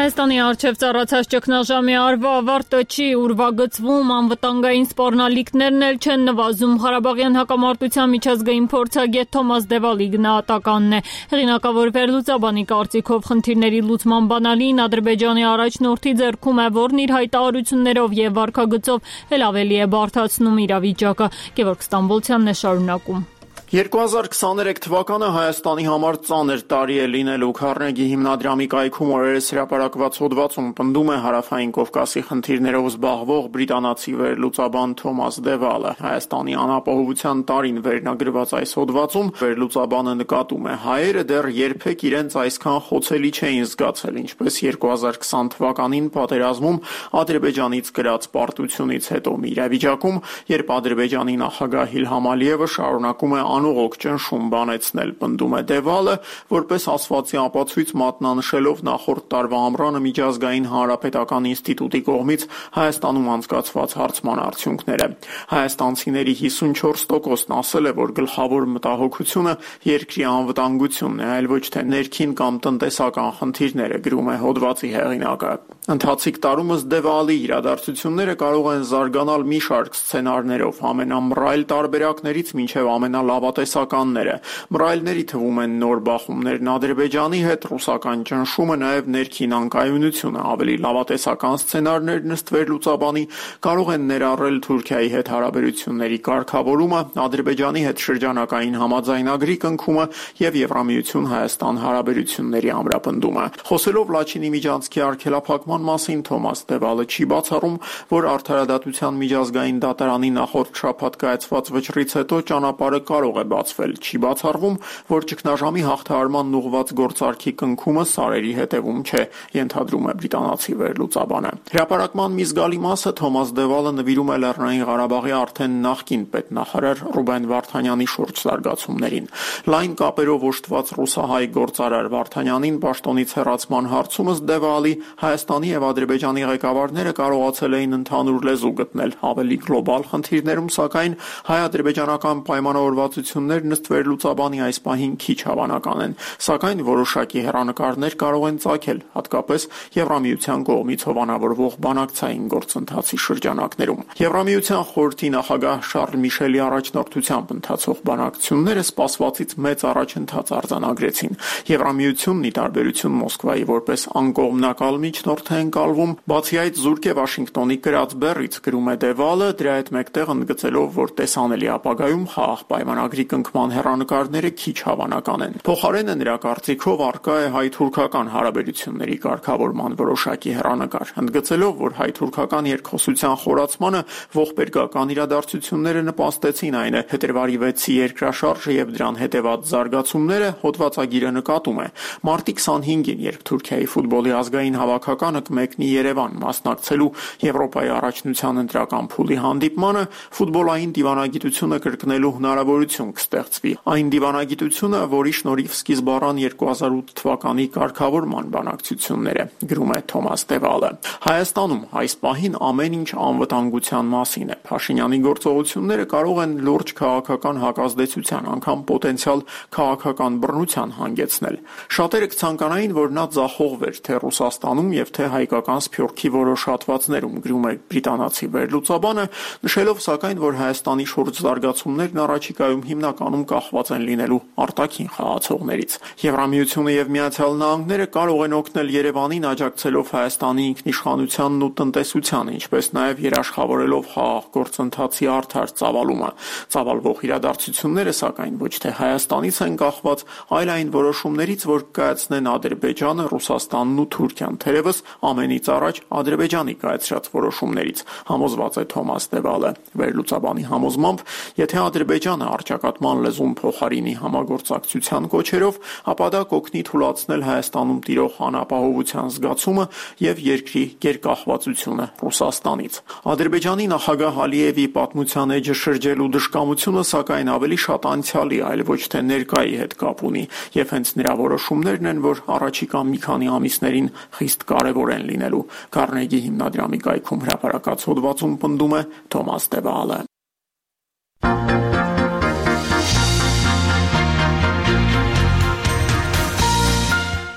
Հայաստանի առջև ծառացած ճգնաժամի արվա ավարտը չի ուրվագծվում, անվտանգային սպառնալիքներն էլ չեն նվազում։ Ղարաբաղյան հակամարտության միջազգային փորձագետ Թոմաս Դևալի գնահատականն է։ Հեղինակավոր վերլուծաբանի կարծիքով խնդիրների լուծման բանալին Ադրբեջանի առաջնորդի ձեռքում է, որն իր հայտարարություններով եւ վարքագծով էլ ավելի է բարդացնում իրավիճակը։ Գևորգ Ստամբոլցյանն է շարունակում։ 2023 թվականը Հայաստանի համար ծանր տարի է լինելու։ Քարնեգի հիմնադրամի կայքում օրերս հրապարակված հոդվածում պնդում է Հարավային Կովկասի խնդիրներով զբաղվող բրիտանացի վերլուծաբան Թոմաս Դևալը։ Հայաստանի անապահովության տարին վերնագրված այս հոդվածում վերլուծաբանը նկատում է, հայերը դեռ երբեք իրենց այսքան խոցելի չէին զգացել, ինչպես 2020 թվականին պատերազմում Ադրբեջանից կրած պարտությունից հետո մի իրավիճակում, երբ Ադրբեջանի նախագահ Իլհամ Ալիևը շարունակում է անողոք ճնշում բանեցնել, պնդում է Դևալը, որպես ասվածի ապացույց մատնանշելով նախորդ տարվա ամռանը միջազգային հանրապետական ինստիտուտի կողմից Հայաստանում անցկացված հարցման արդյունքները։ Հայաստանցիների 54%-ն ասել է, որ գլխավոր մտահոգությունը երկրի անվտանգությունն է, այլ ոչ թե ներքին կամ տնտեսական խնդիրները, գրում է հոդվածի հեղինակը։ Ընթացիկ տարումս Դևալի իրադարձությունները կարող են զարգանալ մի շարք սցենարներով, ամենամռայլ տարբերակներից մինչև ամենալավատեսականները։ Մռայլների թվում են նոր բախումներն Ադրբեջանի հետ, ռուսական ճնշումը, նաև ներքին անկայունությունը։ Ավելի լավատեսական սցենարներն ըստ վերլուծաբանի կարող են ներառել Թուրքիայի հետ հարաբերությունների կարգավորումը, Ադրբեջանի հետ շրջանակային համաձայնագրի կնքումը եւ Եվրամիություն-Հայաստան հարաբերությունների ամրապնդումը։ Խոսելով Լաչինի միջանցքի արգելափակման մասին Թոմաս Դևալը չի բացառում, որ արդարադատության միջազգային դատարանի նախորդ շաբաթ կայացված վճռից հետո ճանապարհը կարող է բացվել։ Չի բացառվում, որ ճգնաժամի հաղթահարման ուղղված գործարքի կնքումը սարերի հետևում չէ, ենթադրում է բրիտանացի վերլուծաբանը։ Հրապարակման մի զգալի մասը Թոմաս Դևալը նվիրում է Լեռնային Ղարաբաղի արդեն նախկին պետնախարար Ռուբեն Վարդանյանի շուրջ զարգացումներին։ Լայն կապերով օժտված ռուսահայ գործարար Վարդանյանին պաշտոնից հեռացման հարցումս Դևալի Հայաստանի եւ Ադրբեջանի ղեկավարները կարողացել էին ընդհանուր լեզու գտնել ավելի գլոբալ խնդիրներում, սակայն հայ-ադրբեջանական պայմանավորվածություններն ըստ վերլուծաբանի այս պահին քիչ հավանական են, սակայն որոշակի հեռանկարներ կարող են ծագել, հատկապես Եվրամիության կողմից հովանավորվող բանակցային գործընթացի շրջանակներում։ Եվրամիության խորհրդի նախագահ Շարլ Միշելի առաջնորդությամբ ընթացող բանակցությունները սպասվածից մեծ առաջընթաց արձանագրեցին։ Եվրամիությունն ի տարբերություն Մոսկվայի որպես անկողմնակալ միջնորդ է ընկալվում, բացի այդ զուրկ է Վաշինգտոնի կրած բեռից, գրում է Դևալը, դրա հետ մեկտեղ ընդգծելով, որ տեսանելի ապագայում խաղաղ պայմանագրի կնքման հեռանկարները քիչ հավանական են։ Փոխարենը նրա կարծիքով առկա է հայ-թուրքական հարաբերությունների կարգավորման որոշակի հեռանկար, ընդգծելով, որ հայ-թուրքական երկխոսության խորացմանը ողբերգական իրադարձությունները նպաստեցին, այն է փետրվարի 6-ի երկրաշարժը եւ դրան հետեւած զարգացումները, հոդվածագիրը նկատում է։ Մարտի 25-ին, երբ Թուրքիայի ֆուտբոլի ազգային հավաքականը կմեկնի Երևան մասնակցելու Եվրոպայի առաջնության ընտրական փուլի հանդիպմանը, ֆուտբոլային դիվանագիտությունը կրկնելու հնարավորություն կառավարություն կստեղծվի։ Այն դիվանագիտությունը, որի շնորհիվ սկիզբ առան 2008 թվականի կարգավորման բանակցությունները, գրում է Թոմաս Դևալը։ Հայաստանում այս պահին ամեն ինչ անվտանգության մասին է։ Փաշինյանի գործողությունները կարող են լուրջ քաղաքական հակազդեցության, անգամ պոտենցիալ քաղաքական բռնության հանգեցնել։ Շատերը կցանկանային, որ նա ձախողվեր թե Ռուսաստանում եւ թե հայկական սփյուռքի որոշ հատվածներում, գրում է բրիտանացի վերլուծաբանը, նշելով սակայն, որ Հայաստանի շուրջ զարգացումներն առաջիկայում հիմնականում կախված են լինելու արտաքին խաղացողներից։ Եվրամիությունը եւ Միացյալ Նահանգները կարող են օգնել Երևանին աջակցելով Հայաստանի ինքնիշխանությանն ու տնտեսությանը, ինչպես նաեւ երաշխավորելով խաղաղ գործընթացի արդար ծավալումը։ Ծավալվող իրադարձությունները սակայն ոչ թե Հայաստանից են կախված, այլ այն որոշումներից, որ կայացնեն Ադրբեջանը, Ռուսաստանն ու Թուրքիան, թերևս ամենից առաջ Ադրբեջանի կայացրած որոշումներից, համոզված է Թոմաս Դևալը։ Վերլուծաբանի համոզմամբ, եթե Ադրբեջանը առճակատման լեզուն փոխարինի համագործակցության կոչերով, ապա դա կօգնի թույլատնել Հայաստանում տիրող անապահովության զգացումը եւ երկրի գերկախվածությունը Ռուսաստանից։ Ադրբեջանի նախագահ Ալիևի պատմության էջը շրջելու դժկամությունը սակայն ավելի շատ անցյալի, այլ ոչ թե ներկայի հետ կապ ունի, եւ հենց նրա որոշումներն են, որ առաջիկա մի քանի ամիսներին խիստ կարեւոր են լինելու։ Քարնեգի հիմնադրամի կայքում հրապարակած հոդվածում պնդում է Թոմաս Դևալը։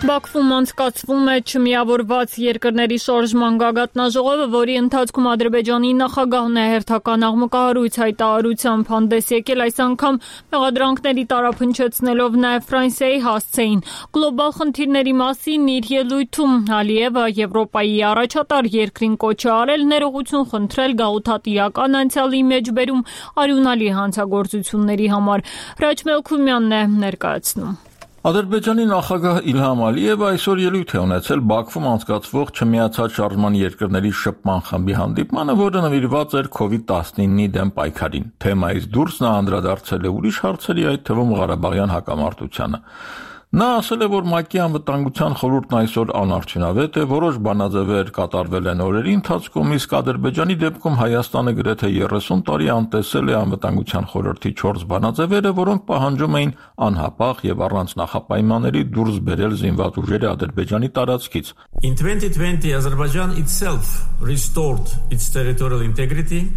Բաքվում անցկացվում է չմիավորված երկրների շարժման գագաթնաժողովը, որի ընթացքում Ադրբեջանի նախագահն է հերթական աղմկահարույց հայտարարությամբ հանդես եկել, այս անգամ մեղադրանքների տարափնչեցնելով նաև Ֆրանսիայի հասցեին։ Գլոբալ խնդիրների մասին իր ելույթում Ալիևը Եվրոպայի առաջատար երկրին կոչ է արել ներողություն խնդրել գաղութատիրական անցյալի մեջբերում արյունալի հանցագործությունների համար։ Հրաչ Մելքումյանն է ներկայացնում։ Ադրբեջանի նախագահ Իլհամ Ալիևը այսօր ելույթ է ունեցել Բաքվում անցկացվող չմիացած շարժման երկրների շփման խմբի հանդիպմանը, որը նվիրված էր COVID-19-ի դեմ պայքարին։ Թեմայից դուրս նա անդրադարձել է ուրիշ հարցերի, այդ թվում Ղարաբաղյան հակամարտությանը։ Նա ասել է, որ ՄԱԿ-ի անվտանգության խորհուրդն այսօր անարդյունավետ է, որոշ բանաձևեր կատարվել են օրերի ընթացքում, իսկ Ադրբեջանի դեպքում Հայաստանը գրեթե 30 տարի անտեսել է անվտանգության խորհրդի 4 բանաձևերը, որոնք պահանջում էին անհապաղ եւ առանց նախապայմանների դուրս բերել զինված ուժերը Ադրբեջանի տարածքից։ In 2020 Azerbaijan itself restored its territorial integrity.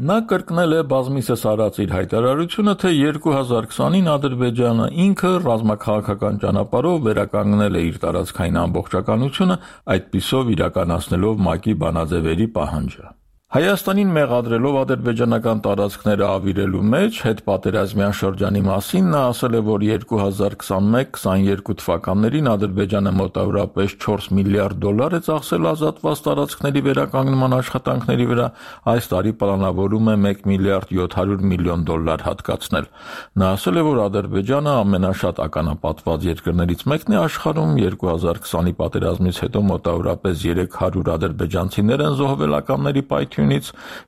Նա կրկնել է բազմիցս արած իր հայտարարությունը, թե 2020-ին Ադրբեջանը ինքը ռազմաքաղաքական ճանապարհով վերականգնել է իր տարածքային ամբողջականությունը, այդպիսով իրականացնելով ՄԱԿ-ի բանաձևերի պահանջը։ Հայաստանին մեղադրելով ադրբեջանական տարածքները ավիրելու մեջ հետպատերազմյան շրջանի մասին նա ասել է, որ 2021-22 թվականներին Ադրբեջանը մոտավորապես 4 միլիարդ դոլար է ծախսել ազատված տարածքների վերականգնման աշխատանքների վրա, այս տարի պլանավորում է 1 միլիարդ 700 միլիոն դոլար հատկացնել։ Նա ասել է, որ Ադրբեջանը ամենաշատ ականապատված երկրներից մեկն է աշխարհում, 2020-ի պատերազմից հետո մոտավորապես 300 ադրբեջանցիներ են զոհվել ականների պայթյունից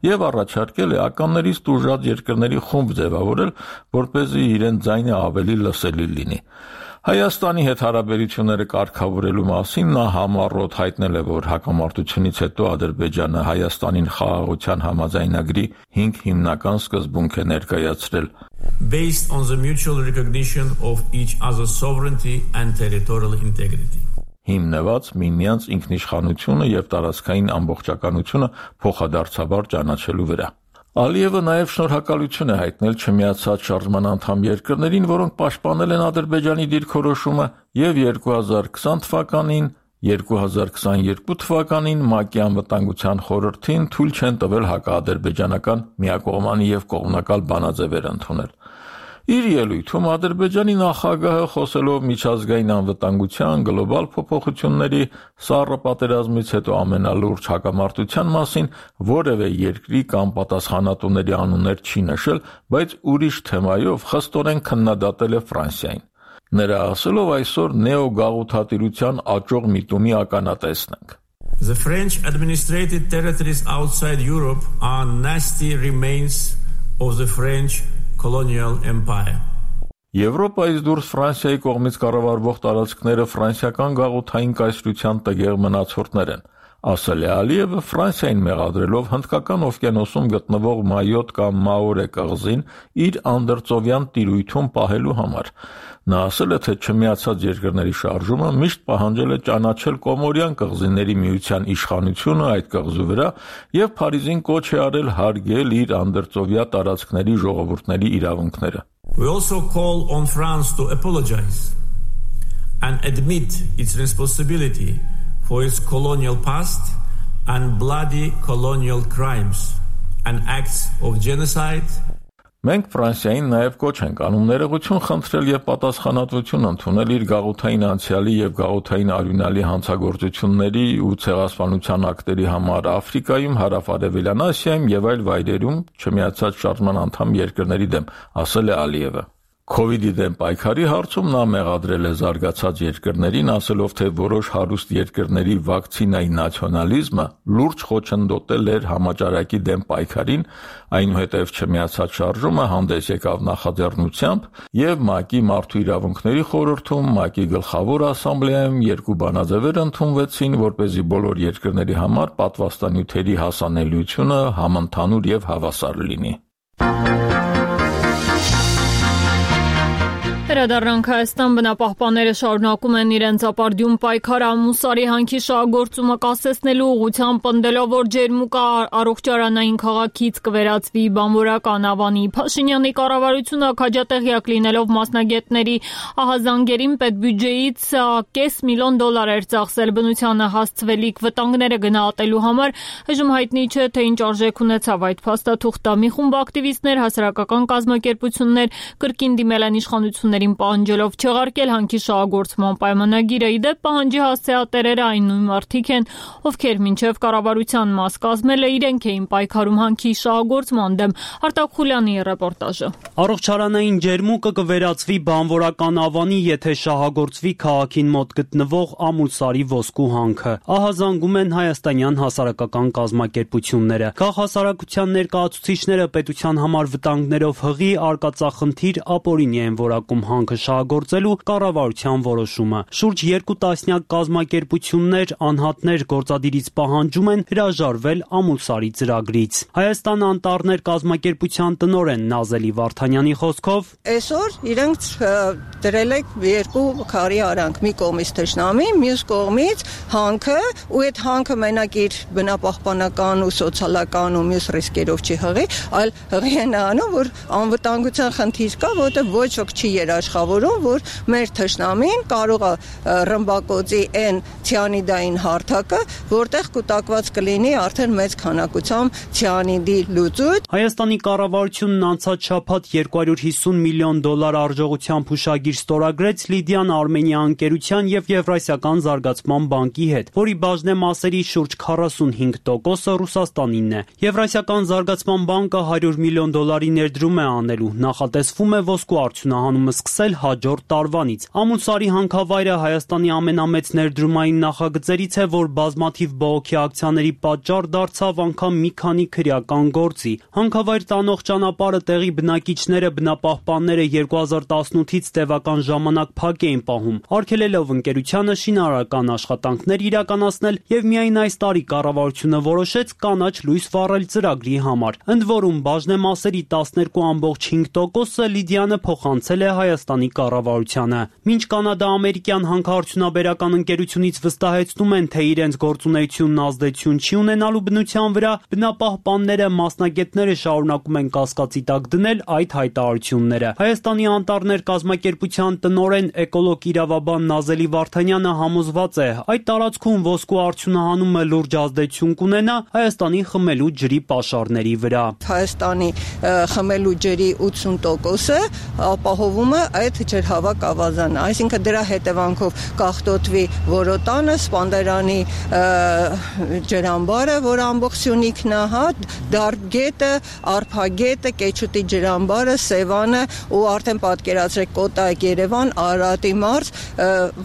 եւ առաջարկել է ականներից տուժած երկրների խումբ ձևավորել, որպեսզի իրեն ձայնը ավելի լսելի լինի։ Հայաստանի հետ հարաբերությունները կարգավորելու մասին նա համառոտ հայտնել է, որ հակամարտությունից հետո Ադրբեջանը Հայաստանին խաղաղության համաձայնագրի 5 հիմնական սկզբունք է ներկայացրել։ Based on the mutual recognition of each other's sovereignty and territorial integrity. Հիմնված միմյանց ինքնիշխանությունը եւ տարածքային ամբողջականությունը փոխադարձաբար ճանաչելու վրա։ Ալիևը նաև շնորհակալություն է հայտնել չմիացած շարժման անդամ երկրներին, որոնք պաշտպանել են Ադրբեջանի դիրքորոշումը եւ 2020 թվականին 2022 թվականին ՄԱԿ-ի անվտանգության խորհրդին թույլ չեն տվել հակաադրբեջանական միակողմանի եւ կողմնակալ բանաձևեր ընդունել։ Իր ելույթում Ադրբեջանի նախագահը խոսելով միջազգային անվտանգության, գլոբալ փոփոխությունների, սառը պատերազմից հետո ամենալուրջ հակամարտության մասին որևէ երկրի կամ պատասխանատուների անուններ չի նշել, բայց ուրիշ թեմայով խստորեն քննադատել է Ֆրանսիային։ Նրա ասելով այսօր նեոգաղութատիրության աճող միտումի ականատեսն ենք։ The French administrated territories outside Europe are nasty remains of the French colonial empire. Եվրոպայից դուրս Ֆրանսիայի կողմից կառավարվող տարածքները ֆրանսիական գաղութային կայսրության տգեղ մնացորդներ են։ ասել է Ալիևը Ֆրանսիային մեղադրելով Հնդկական օվկիանոսում գտնվող Մայոտ կամ Մաորե կղզին իր անդրծովյան տիրույթում պահելու համար։ Նա ասել է, թե Չմիացած երկրների շարժումը միշտ պահանջել է ճանաչել Կոմորյան կղզիների միության իշխանությունը այդ կղզու վրա եւ Փարիզին կոչ է արել հարգել իր անդրծովյա տարածքների ժողովուրդների իրավունքները։ We also call on France to apologize and admit its responsibility for its colonial past and bloody colonial crimes and acts of genocide. Մենք Ֆրանսիային նաև կոչ ենք անում ներողություն խնդրել եւ պատասխանատվություն ընդունել իր գաղութային անցյալի եւ գաղութային արյունալի հանցագործությունների ու ցեղասպանության ակտերի համար Աֆրիկայում, Հարավ-Արևելյան Ասիայում եւ այլ վայրերում Չմիացած շարժման անդամ երկրների դեմ, ասել է Ալիևը։ Քովիդի դեմ պայքարի հարցում նա մեղադրել է զարգացած երկրներին, ասելով, թե որոշ հարուստ երկրների վակցինայի նացիոնալիզմը լուրջ խոչընդոտել էր համաճարակի դեմ պայքարին, այնուհետև Չմիացած շարժումը հանդես եկավ նախաձեռնությամբ եւ ՄԱԿ-ի Մարդու իրավունքների խորհրդում, ՄԱԿ-ի գլխավոր ասամբլեայում երկու բանաձևեր ընդունվեցին, որպեսզի բոլոր երկրների համար պատվաստանյութերի հասանելիությունը համընդհանուր եւ հավասար լինի։ Վերադառնանք Հայաստան, բնապահպանները շարունակում են իրենց ապարդյուն պայքարը ամուսարի հանքի շահագործումը կասեցնելու ուղղությամբ, պնդելով, որ ջերմուկը առողջարանային քաղաքից կվերածվի բանվորական Ավանի։ Փաշինյանի կառավարությունը քաջատեղյակ լինելով մասնագետների ահազանգերին պետբյուջեից $500 միլիոն էր ծախսել բնությանը հասցվելիք վտանգները գնահատելու համար։ Այժմ հայտնի չէ, թե ինչ արժեք ունեցավ այդ փաստաթուղթը։ Մի խումբ ակտիվիստներ, հասարակական կազմակերպություններ կրկին դիմել են իշխանությունների պահանջելով չեղարկել հանքի շահագործման պայմանագիրը։ Իդեպ պահանջի հասցեատերերը այն նույն մարդիկ են, ովքեր մինչև կառավարության մաս կազմելը իրենք էին պայքարում հանքի շահագործման դեմ։ Արտակ Խուլյանի ռեպորտաժը։ Առողջարանային ջերմուկը կվերածվի բանվորական Ավանի, եթե շահագործվի քաղաքին մոտ գտնվող Ամուլսարի ոսկու հանքը։ Ահազանգում են հայաստանյան հասարակական կազմակերպությունները։ Քաղաքասարակության ներկայացուցիչները պետության համար վտանգներով հղի արկածախնդիր ապօրինի են որակում հանքը շահագործելու կառավարության որոշումը։ Շուրջ 2 տասնյակ կազմակերպություններ, անհատներ գործադիրից պահանջում են հրաժարվել Ամուլսարի ծրագրից։ Հայաստան անտառներ կազմակերպության տնօրեն Նազելի Վարդանյանի խոսքով այսօր իրենք դրել եք երկու քարի արանք, մի կողմից թշնամի, մյուս կողմից հանքը, ու այդ հանքը մենակ իր բնապահպանական ու սոցիալական ու մյուս ռիսկերով չի հղի, այլ հղի են անում, որ անվտանգության խնդիր կա, որտեղ ոչ ոք չի երաշխավորում, որ մեր թշնամին կարող է ռմբակոծի այն ցիանիդային հարթակը, որտեղ կուտակված կլինի արդեն մեծ քանակությամբ ցիանիդի լուծույթ։ Հայաստանի կառավարությունն անցած շաբաթ $250 միլիոն արժողությամբ հուշագիր ստորագրեց Լիդիան Արմենիա ընկերության եւ Եվրասիական զարգացման բանկի հետ, որի բաժնեմասերի շուրջ 45%-ը Ռուսաստանինն է։ Եվրասիական զարգացման բանկը $100 միլիոն ներդրում է անելու, նախատեսվում է ոսկու արդյունահանումը սկսել հաջորդ տարվանից։ Ամուլսարի հանքավայրը Հայաստանի ամենամեծ ներդրումային նախագծերից է, որ բազմաթիվ բողոքի ակցիաների պատճառ դարձավ անգամ մի քանի քրեական գործի։ Հանքավայր տանող ճանապարհը տեղի բնակիչները, բնապահպանները 2018-ից տևական ժամանակ փակ էին պահում, արգելելով ընկերությանը շինարարական աշխատանքներ իրականացնել եւ միայն այս տարի կառավարությունը որոշեց կանաչ լույս վառել ծրագրի համար։ Ընդ որում բաժնեմասերի 12.5%-ը Լիդիանը փոխանցել է Հայաստանի կառավարությանը։ Մինչ կանադա-ամերիկյան հանքարդյունաբերական ընկերությունից վստահեցնում են, թե իրենց գործունեությունն ազդեցություն չի ունենալու բնության վրա, բնապահպանները, մասնագետները շարունակում են կասկածի տակ դնել այդ հայտարարությունները։ Հայաստանի անտառներ կազմակերպության տնօրեն էկոլոգ իրավաբան Նազելի Վարդանյանը համոզված է, այդ տարածքում ոսկու արդյունահանումը լուրջ ազդեցություն կունենա Հայաստանի խմելու ջրի պաշարների վրա։ Հայաստանի խմելու ջրի 80%-ը ապահովում է այդ ջրհավաք ավազանը, այսինքն դրա հետևանքով կախտոտվի Որոտանը, Սպանդերանի ջրամբարը, որ ամբողջ Սյունիքն է, Դարբգետը, Արփագետը, Կեչուտի ջրամբարը, Սևանը ու արդեն պատկերացրեք Կոտայք, Երևան, Արարատի մարզ,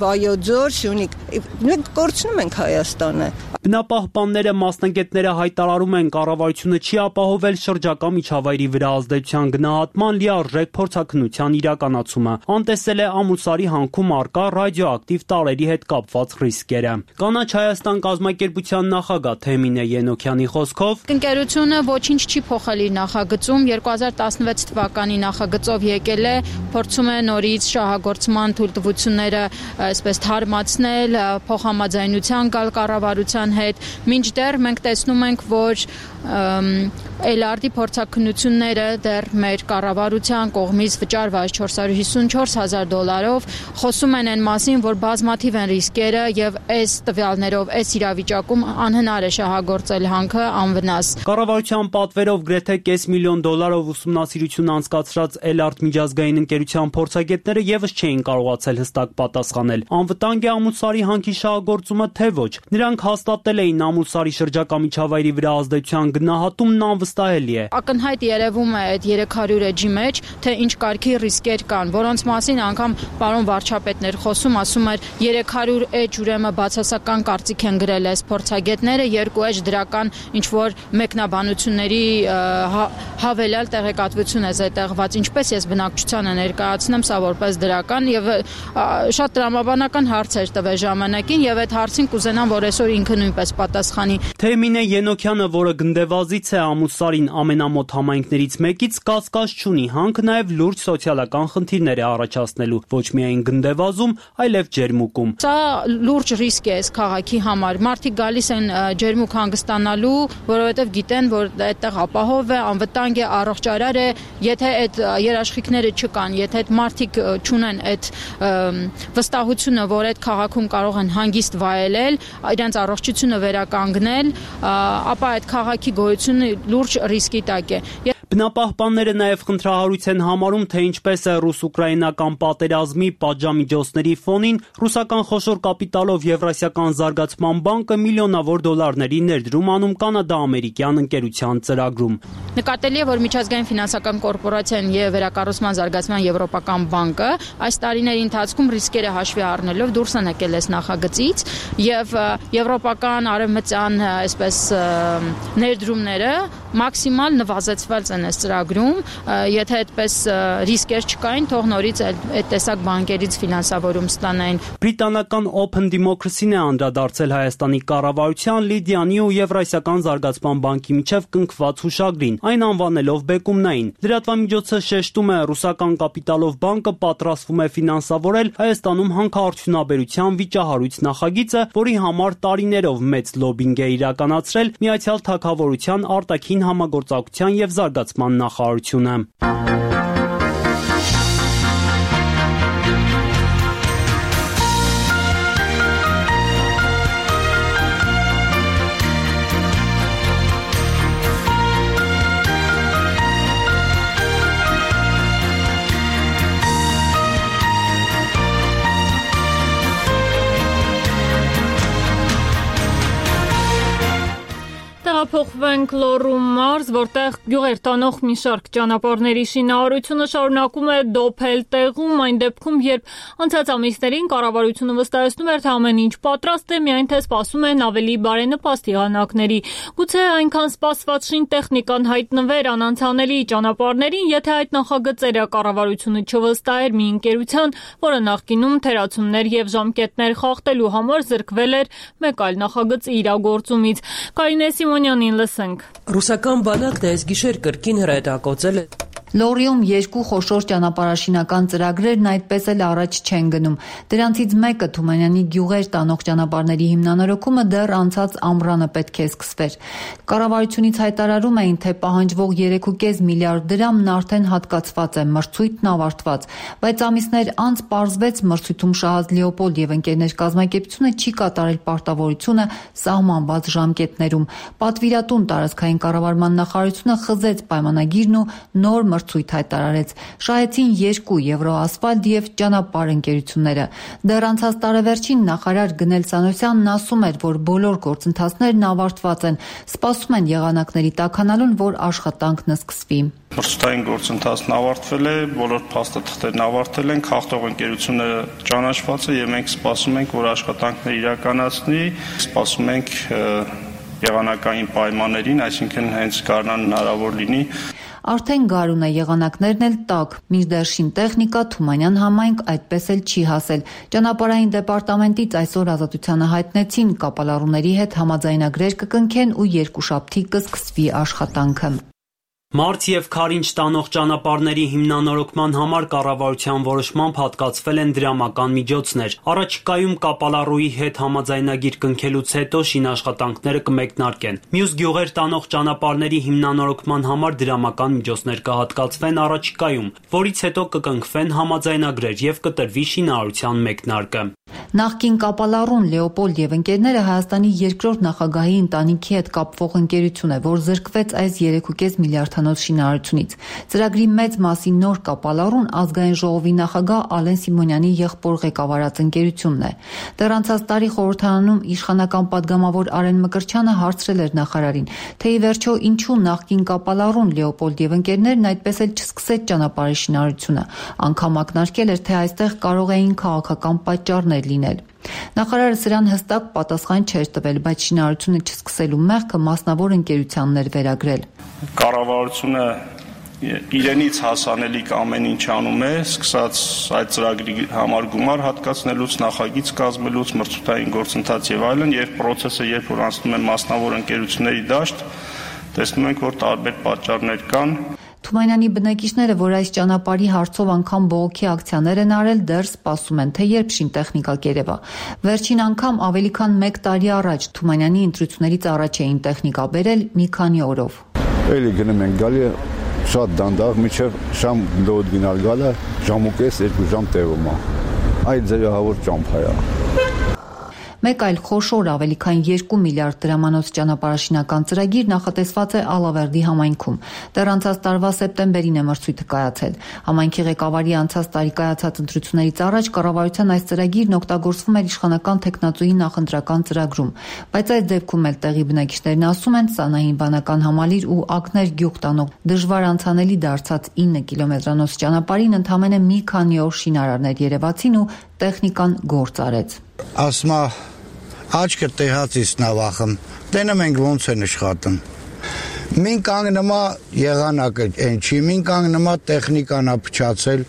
Վայոց ձոր, Սյունիք։ Մենք կորցնում ենք Հայաստանը։ Բնապահպանները, մասնագետները հայտարարում են, կառավարությունը չի ապահովել շրջակա միջավայրի վրա ազդեցության գնահատման լիարժեք փորձաքննության իրականացումը։ օգտագործումը, անտեսել է Ամուսարի հանքում առկա ռադիոակտիվ տարրերի հետ կապված ռիսկերը։ Կանաչ Հայաստան կազմակերպության նախագահ Թեմինե Ենոքյանի խոսքով ընկերությունը ոչինչ չի փոխել իր նախագծում, 2016 թվականի նախագծով եկել է, փորձում է նորից շահագործման թույլտվությունները այսպես թարմացնել, փոխհամաձայնության գալ կառավարության հետ, մինչդեռ մենք տեսնում ենք, որ LRD փորձաքննությունները դեռ մեր կառավարության կողմից վճարված $454,000 խոսում են այն մասին, որ բազմաթիվ են ռիսկերը եւ այս տվյալներով, այս իրավիճակում անհնար է շահագործել հանքը անվնաս։ Կառավարության պատվերով գրեթե $500,000 ուսումնասիրություն անցկացրած LRD միջազգային ընկերության փորձագետները եւս չէին կարողացել հստակ պատասխանել։ Անվտանգ է Ամուսարի հանքի շահագործումը թե ոչ։ Նրանք հաստատել էին Ամուսարի շրջակա միջավայրի վրա ազդեցության գնահատումն անվստահելի է։ Ակնհայտ երևում է այդ 300 էջի մեջ, թե ինչ կարգի ռիսկեր կան, որոնց մասին անգամ պարոն վարչապետն էր խոսում, ասում էր 300 էջ ուրեմն բացասական կարծիք են գրել այս փորձագետները, 2 էջ դրական ինչ որ մեկնաբանությունների հավելյալ տեղեկատվություն է զետեղված, ինչպես ես բնակչությանը ներկայացնեմ սա որպես դրական եւ շատ տրամաբանական հարցեր տվե ժամանակին եւ այդ հարցին կուզենամ, որ այսօր ինքը նույնպես պատասխանի։ Թեմինե Ենոքյանը, որը գնդեվազից է Ամուսարին ամենամոտ համայնքներից մեկից, կասկած չունի, հանքը նաև լուրջ սոցիալական խնդիրներ է առաջացնելու, ոչ միայն գնդեվազում, այլև ջերմուկում։ Սա լուրջ ռիսկ է այս քաղաքի համար։ Մարդիկ գալիս են ջերմուկ հանգստանալու, որովհետև գիտեն, որ այդտեղ ապահով է, անվտանգ է, առողջարար է, եթե այդ երաշխիքները չկան, եթե այդ մարդիկ չունեն այդ վստահությունը, որ այդ քաղաքում կարող են հանգիստ վայելել, իրենց առողջությունը վերականգնել, ապա այդ քաղաքի գոյությունը լուրջ ռիսկի տակ է։ Բնապահպանները նաև խնդրահարույց են համարում, թե ինչպես է ռուս-ուկրաինական պատերազմի պատժամիջոցների ֆոնին ռուսական խոշոր կապիտալով Եվրասիական զարգացման բանկը միլիոնավոր դոլարների ներդրում անում կանադա-ամերիկյան ընկերության ծրագրում։ Նկատելի է, որ միջազգային ֆինանսական կորպորացիան եւ վերակառուցման զարգացման եվրոպական բանկը այս տարիների ընթացքում ռիսկերը հաշվի առնելով դուրս են եկել այս նախագծից եւ եվրոպական արևմտյան այսպես ներդրումները մաքսիմալ նվազեցված են այս ծրագրում, եթե այդպես ռիսկեր չկային, թող նորից այդ տեսակ բանկերից ֆինանսավորում ստանային։ Բրիտանական Open Democracy-ն է անդրադարձել Հայաստանի կառավարության, Լիդիանի ու Եվրասիական զարգացման բանկի միջև կնքված հուշագրին, այն անվանելով բեկումնային։ Լրատվամիջոցը շեշտում է, ռուսական կապիտալով բանկը պատրաստվում է ֆինանսավորել Հայաստանում հանքարդյունաբերության վիճահարույց նախագիծը, որի համար տարիներով մեծ լոբինգ է իրականացրել Միացյալ Թագավորության արտաքին համագործակցության եւ զարգացման նախարարությունը։ Փոխվենք Լոռու մարզ, որտեղ գյուղեր տանող մի շարք ճանապարհների շինարարությունը շարունակում է դոփել տեղում, այն դեպքում, երբ անցած ամիսներին կառավարությունը վստահեցնում էր, թե ամեն ինչ պատրաստ է, միայն թե սպասում են ավելի բարենպաստ եղանակների։ Գուցե այնքան սպասված շինտեխնիկան հայտնվեր անանցանելի ճանապարհներին, եթե այդ նախագծերը կառավարությունը չվստահեր մի ընկերության, որը նախկինում թերացումներ եւ ժամկետներ խախտելու համար զրկվել էր մեկ այլ նախագծի իրագործումից։ Կարինե Սիմոնյանին լսենք։ Ռուսական բանակն այս գիշեր կրկին հրետակոծել է Լոռիում 2 խոշոր ճանապարհաշինական ծրագրերն այդպես էլ առաջ չեն գնում։ Դրանցից մեկը Թումանյանի գյուղեր տանող ճանապարհների հիմնանորոգումը դեռ անցած ամռանը պետք է սկսվեր։ Կառավարությունից հայտարարում էին, թե պահանջվող 3.5 միլիարդ դրամն արդեն հատկացված է, մրցույթն ավարտված, բայց ամիսներ անց պարզվեց մրցույթում շահած Լեոպոլդ եւ ընկերներ կազմակերպությունը չի կատարել պարտավորությունը սահմանված ժամկետներում։ Պատվիրատուն տարածքային կառավարման նախարարությունը խզեց պայմանագիրն ու նոր մրցույթ հայտարարեց։ Շահեցին 2 Եվրոասֆալտ եւ ճանապարհ ընկերությունները։ Դեռ անցած տարեվերջին նախարար Գնել Սանոսյանն ասում էր, որ բոլոր գործընթացներն ավարտված են, սպասում են եղանակների տաքանալուն, որ աշխատանքն սկսվի։ Մրցութային գործընթացն ավարտվել է, բոլոր փաստաթղթերն ավարտել են, խախտող ընկերությունը ճանաչված է եւ մենք սպասում ենք, որ աշխատանքները իրականացնի, սպասում ենք եղանակային պայմաններին, այսինքն հենց գարնան հնարավոր լինի։ Արդեն գարուն է, եղանակներն էլ տաք, մինչդեռ շինտեխնիկա Թումանյան համայնք այդպես էլ չի հասել։ Ճանապարհային դեպարտամենտից այսօր Ազատությանը հայտնեցին, կապալառուների հետ համաձայնագրեր կկնքեն ու երկուշաբթի կսկսվի աշխատանքը։ Մարդ եւ Քարինչ տանող ճանապարհների հիմնանորոգման համար կառավարության որոշմամբ հատկացվել են դրամական միջոցներ։ Առաջիկայում կապալառուի հետ համաձայնագիր կնքելուց հետո շինաշխատանքները կմեկնարկեն։ Մյուս գյուղեր տանող ճանապարհների հիմնանորոգման համար դրամական միջոցներ կհատկացվեն առաջիկայում, որից հետո կկնքվեն համաձայնագրեր եւ կտրվի շինարարության մեկնարկը։ Նախկին կապալառուն Լեոպոլդ եւ ընկերները Հայաստանի երկրորդ նախագահի ընտանիքի հետ կապվող ընկերություն է, որ զրկվեց այս 3.5 միլիարդանոց շինարարությունից։ Ծրագրի մեծ մասի նոր կապալառուն Ազգային ժողովի նախագահ Ալեն Սիմոնյանի եղբոր ղեկավարած ընկերությունն է։ Դեռ անցած տարի խորհրդարանում իշխանական падգամավոր Արեն Մկրտչյանը հարցրել էր նախարարին, թե ի վերջո ինչու նախկին կապալառուն Լեոպոլդ եւ ընկերներն այդպես էլ չսկսեց ճանապարհի շինարարությունը։ Անգամ ակնարկել էր, թե այստեղ կարող էին քաղաքական պատճառներ լինել։ Նախարարը սրան հստակ պատասխան չէր տվել, բայց շինարարությունը չսկսելու մեղքը մասնավոր ընկերությանն էր վերագրել։ Կառավարությունը իրենից հասանելիք ամեն ինչ անում է, սկսած այդ ծրագրի համար գումար հատկացնելուց, նախագիծ կազմելուց, մրցութային գործընթաց եւ այլն, եւ process-ը երբ որ անցնում է մասնավոր ընկերությունների դաշտ, տեսնում ենք, որ տարբեր պատճառներ կան։ Թումանյանի բնակիչները, որ այս ճանապարհի հարցով անգամ բողոքի ակցիաներ են արել, դեռ սպասում են, թե երբ շինտեխնիկա կերևա։ Վերջին անգամ ավելի քան 1 տարի առաջ Թումանյանի ընտրություններից առաջ էին տեխնիկա բերել մի քանի օրով։ Էլի գնում են գալի շատ դանդաղ, միջև շամ դոդ գնալ գալը, ժամուկես 2 ժամ տևում է։ Այդ ձևահավոր ճամփա է։ Մեկ այլ խոշոր ավելի քան 2 միլիարդ դրամանոց ճանապարհաշինական ծրագիր նախատեսված է Ալավերդի համայնքում։ Դեռ անցած տարվա սեպտեմբերին է մրցույթը կայացել։ Համայնքի ղեկավարի անցած տարի կայացած ընտրություններից առաջ կառավարության այս ծրագիրն օգտագործվում էր իշխանական տեխնատուի նախընտրական ծրագրում, բայց այս դեպքում էլ տեղի բնակիչներն ասում են, Սանահին բանական համալիր ու Ակներ գյուղ տանող դժվար անցանելի դարձած 9 կիլոմետրանոց ճանապարհին ընդամենը մի քանի օր շինարարներ երևացին ու տեխնիկան գործ արեց։ Ասմա աչքը տեղացից նավախım տենեմ ենք ոնց են աշխատում մին կանգնումա եղանակը այն չի մին կանգնումա տեխնիկան է փչացել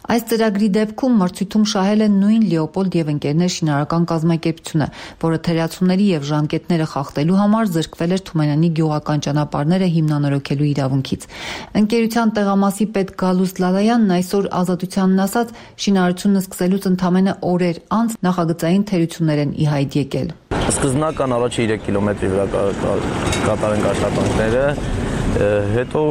Այս ծրագրի դեպքում մրցույթում շահել են նույն Լեոպոլդ եւ ընկերներ շինարարական կազմակերպությունը, որը թերացումների եւ ժամկետները խախտելու համար զրկվել էր Թումանյանի գյուղական ճանապարհները հիմնանորոգելու իրավունքից։ Ընկերության տեղամասի պետ Գալուստ Լալայանն այսօր Ազատությանն ասաց, շինարարությունը սկսելուց ընդամենը օրեր անց նախագծային թերություններ են ի հայտ եկել։ Սկզբնական առաջ 3 կիլոմետրի վրա կատարենք աշխատանքները, հետո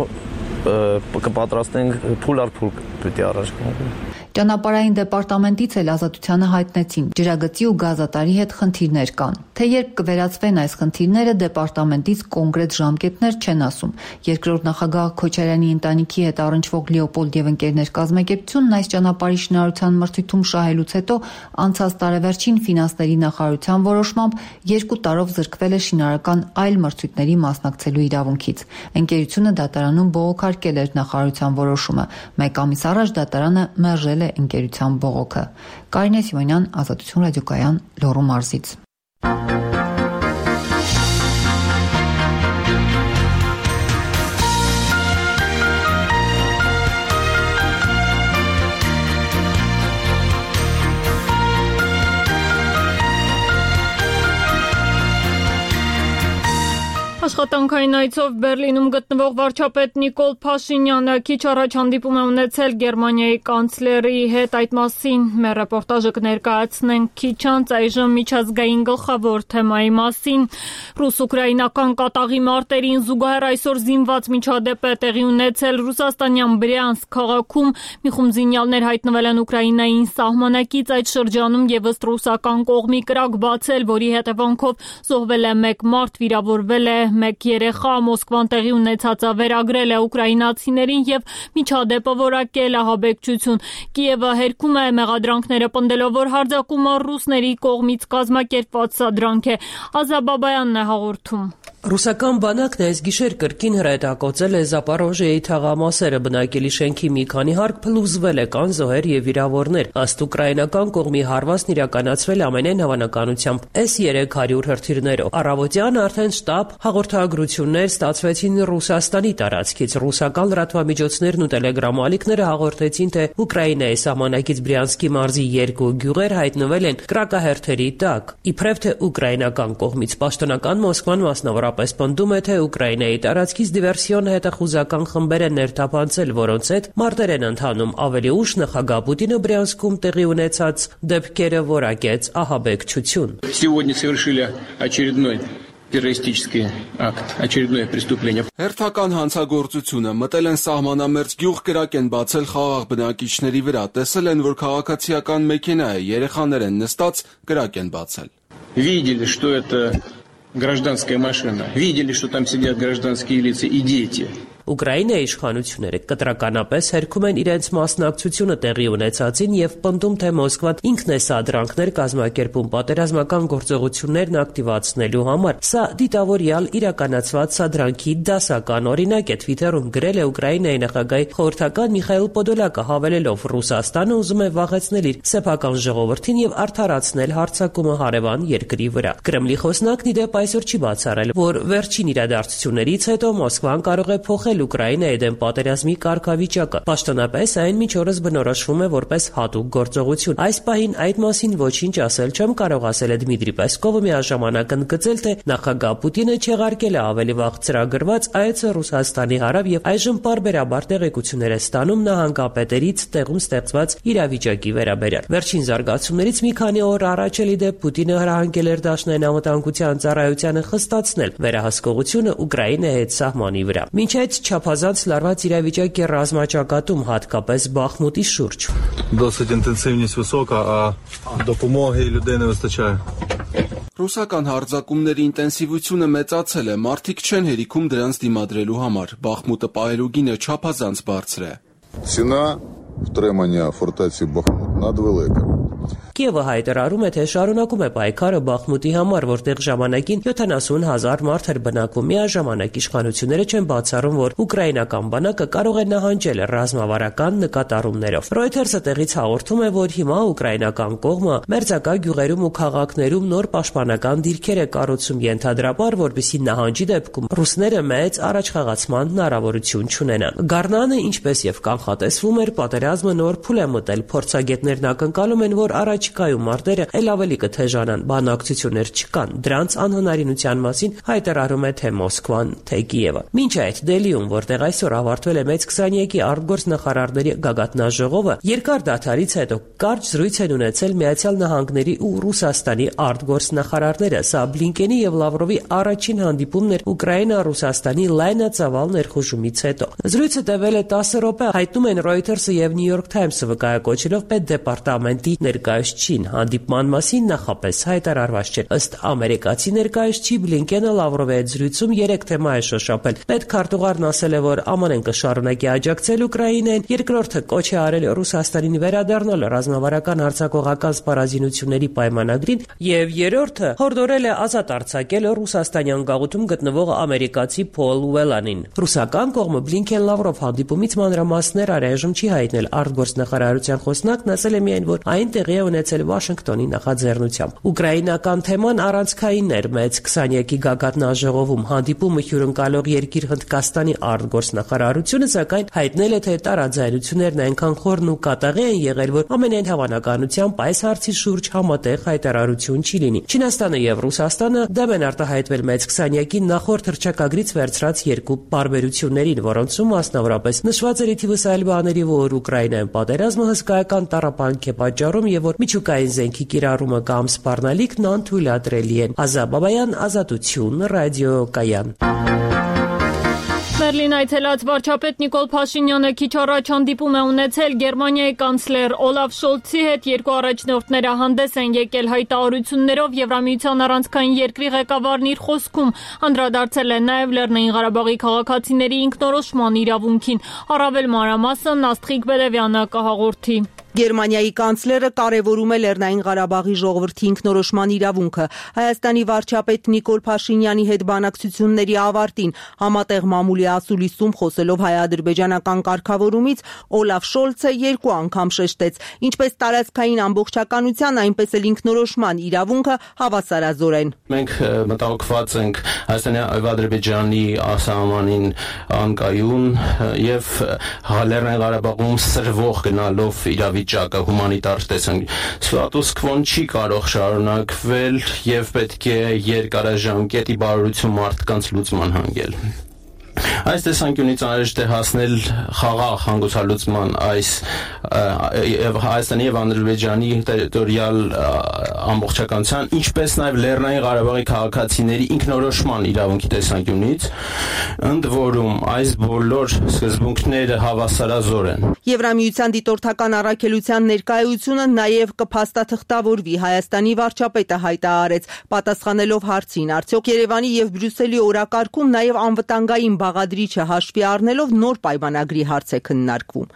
կպատրաստենք փուլ առ փուլ պիտի առաջ գնանք։ Ճանապարհային դեպարտամենտից էլ Ազատությանը հայտնեցին, ջրագծի ու գազատարի հետ խնդիրներ կան։ Թե երբ կվերացվեն այս խնդիրները, դեպարտամենտից կոնկրետ ժամկետներ չեն ասում։ Երկրորդ նախագահ Քոչարյանի ընտանիքի հետ առնչվող Լեոպոլդ եւ ընկերներ կազմակերպությունն այս ճանապարհի շինարարության մրցույթում շահելուց հետո անցած տարեվերջին ֆինանսների նախարարության որոշմամբ 2 տարով զրկվել է շինարարական այլ մրցույթների մասնակցելու իրավունքից։ Ընկերությունը դատարանում բողոքարկել էր նախարարության որոշումը։ 1 ամիս առաջ դատարանը մերժել է ընկերության բողոքը։ Կարինե Սիմոնյան, Ազատություն ռադիոկայան, Լոռու մարզից։ Աշխատանքային այցով Բերլինում գտնվող վարչապետ Նիկոլ Փաշինյանը քիչ առաջ հանդիպում է ունեցել Գերմանիայի կանցլերի հետ, այդ մասին մեր ռեպորտաժը կներկայացնենք քիչ անց, այժմ միջազգային գլխավոր թեմայի մասին։ Ռուս-ուկրաինական կատաղի մարտերին զուգահեռ այսօր զինված միջադեպ է տեղի ունեցել Ռուսաստանյան Բրյանսկ քաղաքում, մի խումբ զինյալներ հայտնվել են Ուկրաինային սահմանակից, այդ շրջանում եւս ռուսական կողմի կրակ բացել, որի հետևանքով զոհվել է 1 մարդ, վիրավորվել է 1 երեխա, Մոսկվան տեղի ունեցածը վերագրել է ուկրաինացիներին եւ միջադեպը որակել ահաբեկչություն։ Կիևը հերքում է մեղադրանքները պնդելով, որ հարձակումը ռուսների կողմից կազմակերպված սադրանք է։ Ազա Բաբայանն է հաղորդում։ Ռուսական բանակն այս գիշեր կրկին հրետակոծել է Զապորոժիեի թաղամասերը, բնակելի շենքի մի քանի հարկ փլուզվել է, կան զոհեր եւ վիրավորներ։ Ըստ ուկրաինական կողմի հարվածն իրականացվել ամենայն հավանականությամբ S-300 հրթիռներով։ Առավոտյան արդեն շտաբ հաղորդագրություններ ստացվեցին Ռուսաստանի տարածքից։ Ռուսական լրատվամիջոցներն ու տելեգրամալիքները հաղորդեցին, թե Ուկրաինայի սահմանակից Բրյանսկի մարզի 2 գյուղեր հայտնվել են կրակահերթերի տակ։ Իբրև թե ուկրաինական կողմից պաշտոնական Մոսկվան մասնավորապես պնդում է, թե Ուկրաինայի տարածքից դիվերսիոն հետախուզական խմբեր են ներթափանցել, որոնց հետ մարտեր են ընթանում։ Ավելի ուշ նախագահ Պուտինը Բրյանսկում տեղի ունեցած դեպքերը որակեց ահաբեկչություն։ Сегодня совершили очередной террористический акт, очередное преступление. Հերթական հանցագործությունը մտել են սահմանամերձ գյուղ, կրակ են բացել խաղաղ բնակիչների վրա, տեսել են, որ քաղաքացիական մեքենա է, երեխաներ են նստած, կրակ են բացել։ Видели, что это гражданская машина. Видели, что там сидят гражданские лица и дети. Ուկրաինայի իշխանությունները կտրականապես հերքում են իրենց մասնակցությունը տեղի ունեցածին եւ պնդում, թե Մոսկվան ինքն է սադրանքներ կազմակերպում պատերազմական գործողություններն ակտիվացնելու համար։ Սա դիտավորյալ իրականացված սադրանքի դասական օրինակ է, Twitter-ում գրել է Ուկրաինայի նախագահի խորհրդական Միխայիլ Պոդոլյակը, հավելելով Ռուսաստանը ուզում է վաղեցնել իր սեփական ժողովրդին եւ արդարացնել հարձակումը հարևան երկրի վրա։ Կրեմլի խոսնակն ի դեպ այսօր չի բացառել, որ վերջին իրադարձություններից հետո Մոսկվան կարող է փոխել Ուկրաինայի դեմ պատերազմի կարգավիճակը։ Պաշտոնապես այն մինչ օրս բնորոշվում է որպես հատուկ գործողություն։ Այս պահին այդ մասին ոչինչ ասել չեմ կարող, ասել է Դմիտրի Պեսկովը, միաժամանակ ընդգծել, թե նախագահ Պուտինը չեղարկել է ավելի վաղ ծրագրված այցը Ռուսաստանի հարավ եւ այժմ պարբերաբար տեղեկություններ է ստանում նահանգապետերից տեղում ստեղծված իրավիճակի վերաբերյալ։ Վերջին զարգացումներից մի քանի օր առաջ էլի դեպ Պուտինը հրահանգել էր Դաշնային անվտանգության ծառայությանը խստացնել վերահսկողությունը Ուկրաինայի հետ սահմանի վրա։ Մինչ այդ չափազանց լարված իրավիճակ է ռազմաճակատում, հատկապես Բախմուտի շուրջ։ Досить інтенсивність висока, а допомоги людей не вистачає. Ռուսական հարձակումների ինտենսիվությունը մեծացել է, մարդիկ չեն հերիքում դրանց դիմադրելու համար։ Բախմուտը պահելու գինը չափազանց բարձր է։ Ціна втримання фортеці Бахмут надвелика. Կիևը հայտարարում է, թե շարունակում է պայքարը Բախմուտի համար, որտեղ ժամանակին 70,000 մարդ էր բնակվում։ Միաժամանակ իշխանությունները չեն բացառում, որ ուկրաինական բանակը կարող է նահանջել ռազմավարական նկատառումներով։ Reuters-ը տեղից հաղորդում է, որ հիմա ուկրաինական կողմը մերձակա գյուղերում ու քաղաքներում նոր պաշտպանական դիրքեր է կառուցում, ենթադրաբար, որպեսզի նահանջի դեպքում ռուսները մեծ առաջխաղացման հնարավորություն չունենան։ Գառնանը, ինչպես եւ կանխատեսվում էր, պատերազմը նոր փուլ է մտել։ Փորձագետներն ակնկալում են, որ առաջիկայում մարտերը ել ավելի կթեժանան, բանակցություններ չկան։ Դրանց անհնարինության մասին հայտարարում է թե Մոսկվան, թե Կիևը։ Մինչ այդ Դելիում, որտեղ այսօր ավարտվել է մեծ 22-ի արտգործնախարարների գագաթնաժողովը, երկար դադարից հետո կարճ զրույց են ունեցել Միացյալ Նահանգների ու Ռուսաստանի արտգործնախարարները։ Սա Բլինկենի եւ Լավրովի առաջին հանդիպումն էր Ուկրաինա-Ռուսաստանի լայնածավալ ներխուժումից հետո։ Զրույցը տևել է 10 րոպե, հայտնում են Reuters-ը եւ New York Times-ը վկայակոչելով պետդեպարտամենտի ներկայացուցիչին։ Հանդիպման մասին նախապես հայտարարված չէր։ Ըստ ամերիկացի ներկայացուցիչ Բլինկենը Լավրովի հետ զրույցում 3 թեմա է շոշափել։ Պետքարտուղարն ասել է, որ ԱՄՆ-ն կշարունակի աջակցել Ուկրաինային, երկրորդը կոչ է արել Ռուսաստանին վերադառնալ ռազմավարական հարձակողական սպառազինությունների պայմանագրին, եւ երրորդը հորդորել է ազատ արձակել Ռուսաստանյան գաղութում գտնվող ամերիկացի Փոլ Ուելանին։ Ռուսական կողմը Բլինկեն-Լավրով հանդիպումից մանրամասներ առայժմ չի հայտնել։ Արտգործնախարարության խոսնակն ասել է միայն, որ այն տեղի է ունեցել Վաշինգտոնի նախաձեռնությամբ։ Ուկրաինական թեման առանցքային էր մեծ 22-ի գագաթնաժողովում։ Հանդիպումը հյուրընկալող երկիր Հնդկաստանի արտգործնախարարությունը սակայն հայտնել է, թե տարաձայնություններն այնքան խորն ու կատաղի են եղել, որ ամենայն հավանականությամբ այս հարցի շուրջ համատեղ հայտարարություն չի լինի։ Չինաստանը եւ Ռուսաստանը դեմ են արտահայտվել մեծ 22-ի նախորդ հռչակագրից վերցրած երկու պարբերություններին, որոնցում մասնավորապես նշված էր ի թիվս այլ բաների, որ Ուկրաինայում պատերազմը հսկայական տառապանք է պատճառում եւ որ միջուկային զենքի կիրառումը կամ սպառնալիքն անթույլատրելի են։ Ազատ Բաբայան, Ազատություն, ռադիոկայան։ Բերլին այցելած վարչապետ Նիկոլ Փաշինյանը քիչ առաջ հանդիպում է ունեցել Գերմանիայի կանցլեր Օլաֆ Շոլցի հետ։ Երկու առաջնորդները հանդես են եկել հայտարարություններով Եվրամիության առանցքային երկրի ղեկավարն իր խոսքում անդրադարձել է նաև Լեռնային Ղարաբաղի քաղաքացիների ինքնորոշման իրավունքին։ Առավել մանրամասն Աստղիկ Բերևյանը կհաղորդի։ Գերմանիայի կանցլերը կարևորում է Լեռնային Ղարաբաղի ժողովրդի ինքնորոշման իրավունքը։ Հայաստանի վարչապետ Նիկոլ Փաշինյանի հետ բանակցությունների ավարտին համատեղ մամուլի ասուլիսում խոսելով հայ-ադրբեջանական կարգավորումից Օլաֆ Շոլցը 2 անգամ շեշտեց, ինչպես տարածքային ամբողջականության, այնպես էլ ինքնորոշման իրավունքը հավասարազոր են։ Մենք մտահոգված ենք Հայաստանի եւ Ադրբեջանի սահմանին անկայուն եւ Լեռնային Ղարաբաղում սրվող գնալով իրավիճակը հումանիտար տեսանյութ ստատուս քվոն չի կարող շարունակվել եւ պետք է երկարաժամկետի բարօրություն մարդկանց լուծման հանգել։ Այս տեսանկյունից անհրաժեշտ է հասնել խաղաղ հանգուցալուծման այս Հայաստանի եւ Ադրբեջանի տերիտորիալ ամբողջականության, ինչպես նաեւ Լեռնային Ղարաբաղի քաղաքացիների ինքնորոշման իրավունքի տեսանկյունից, ընդ որում այս բոլոր սկզբունքները հավասարազոր են։ Եվրամիության դիտորդական առաքելության ներկայությունը նաեւ կփաստաթղթավորվի, Հայաստանի վարչապետը հայտարարեց, պատասխանելով հարցին, արդյոք Երևանի եւ Բրյուսելի օրակարգում նաեւ անվտանգային բաղադրիչը հաշվի առնելով նոր պայմանագրի հարց է քննարկվում։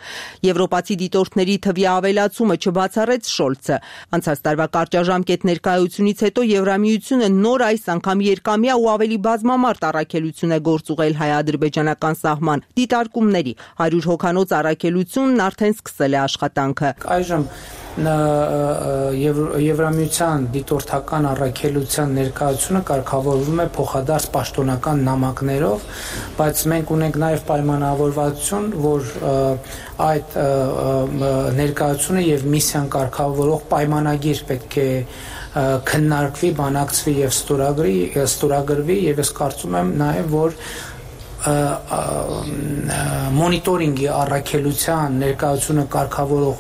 Եվրոպացի դիտորդների թվի ավելացումը չբացառեց Շոլցը։ Անցած տարվա կարճաժամկետ ներկայությունից հետո Եվրամիությունը նոր այս անգամ երկամյա ու ավելի բազմամարդ առաքելություն է գործուղել հայ-ադրբեջանական սահման դիտարկումների 100 հոգանոց առաքելությունն արդեն սկսել է աշխատանքը։ Այժմ Եվրամիության դիտորդական առաքելության ներկայությունը կարգավորվում է փոխադարձ պաշտոնական նամակներով, բայց մենք ունենք նաև պայմանավորվածություն, որ այդ ներկայությունը եւ միսիան կարգավորող պայմանագիր պետք է քննարկվի, բանակցվի եւ ստորագրվի եւ ես կարծում եմ նաև որ մոնիտորինգի առաքելության ներկայությունը կարգավորող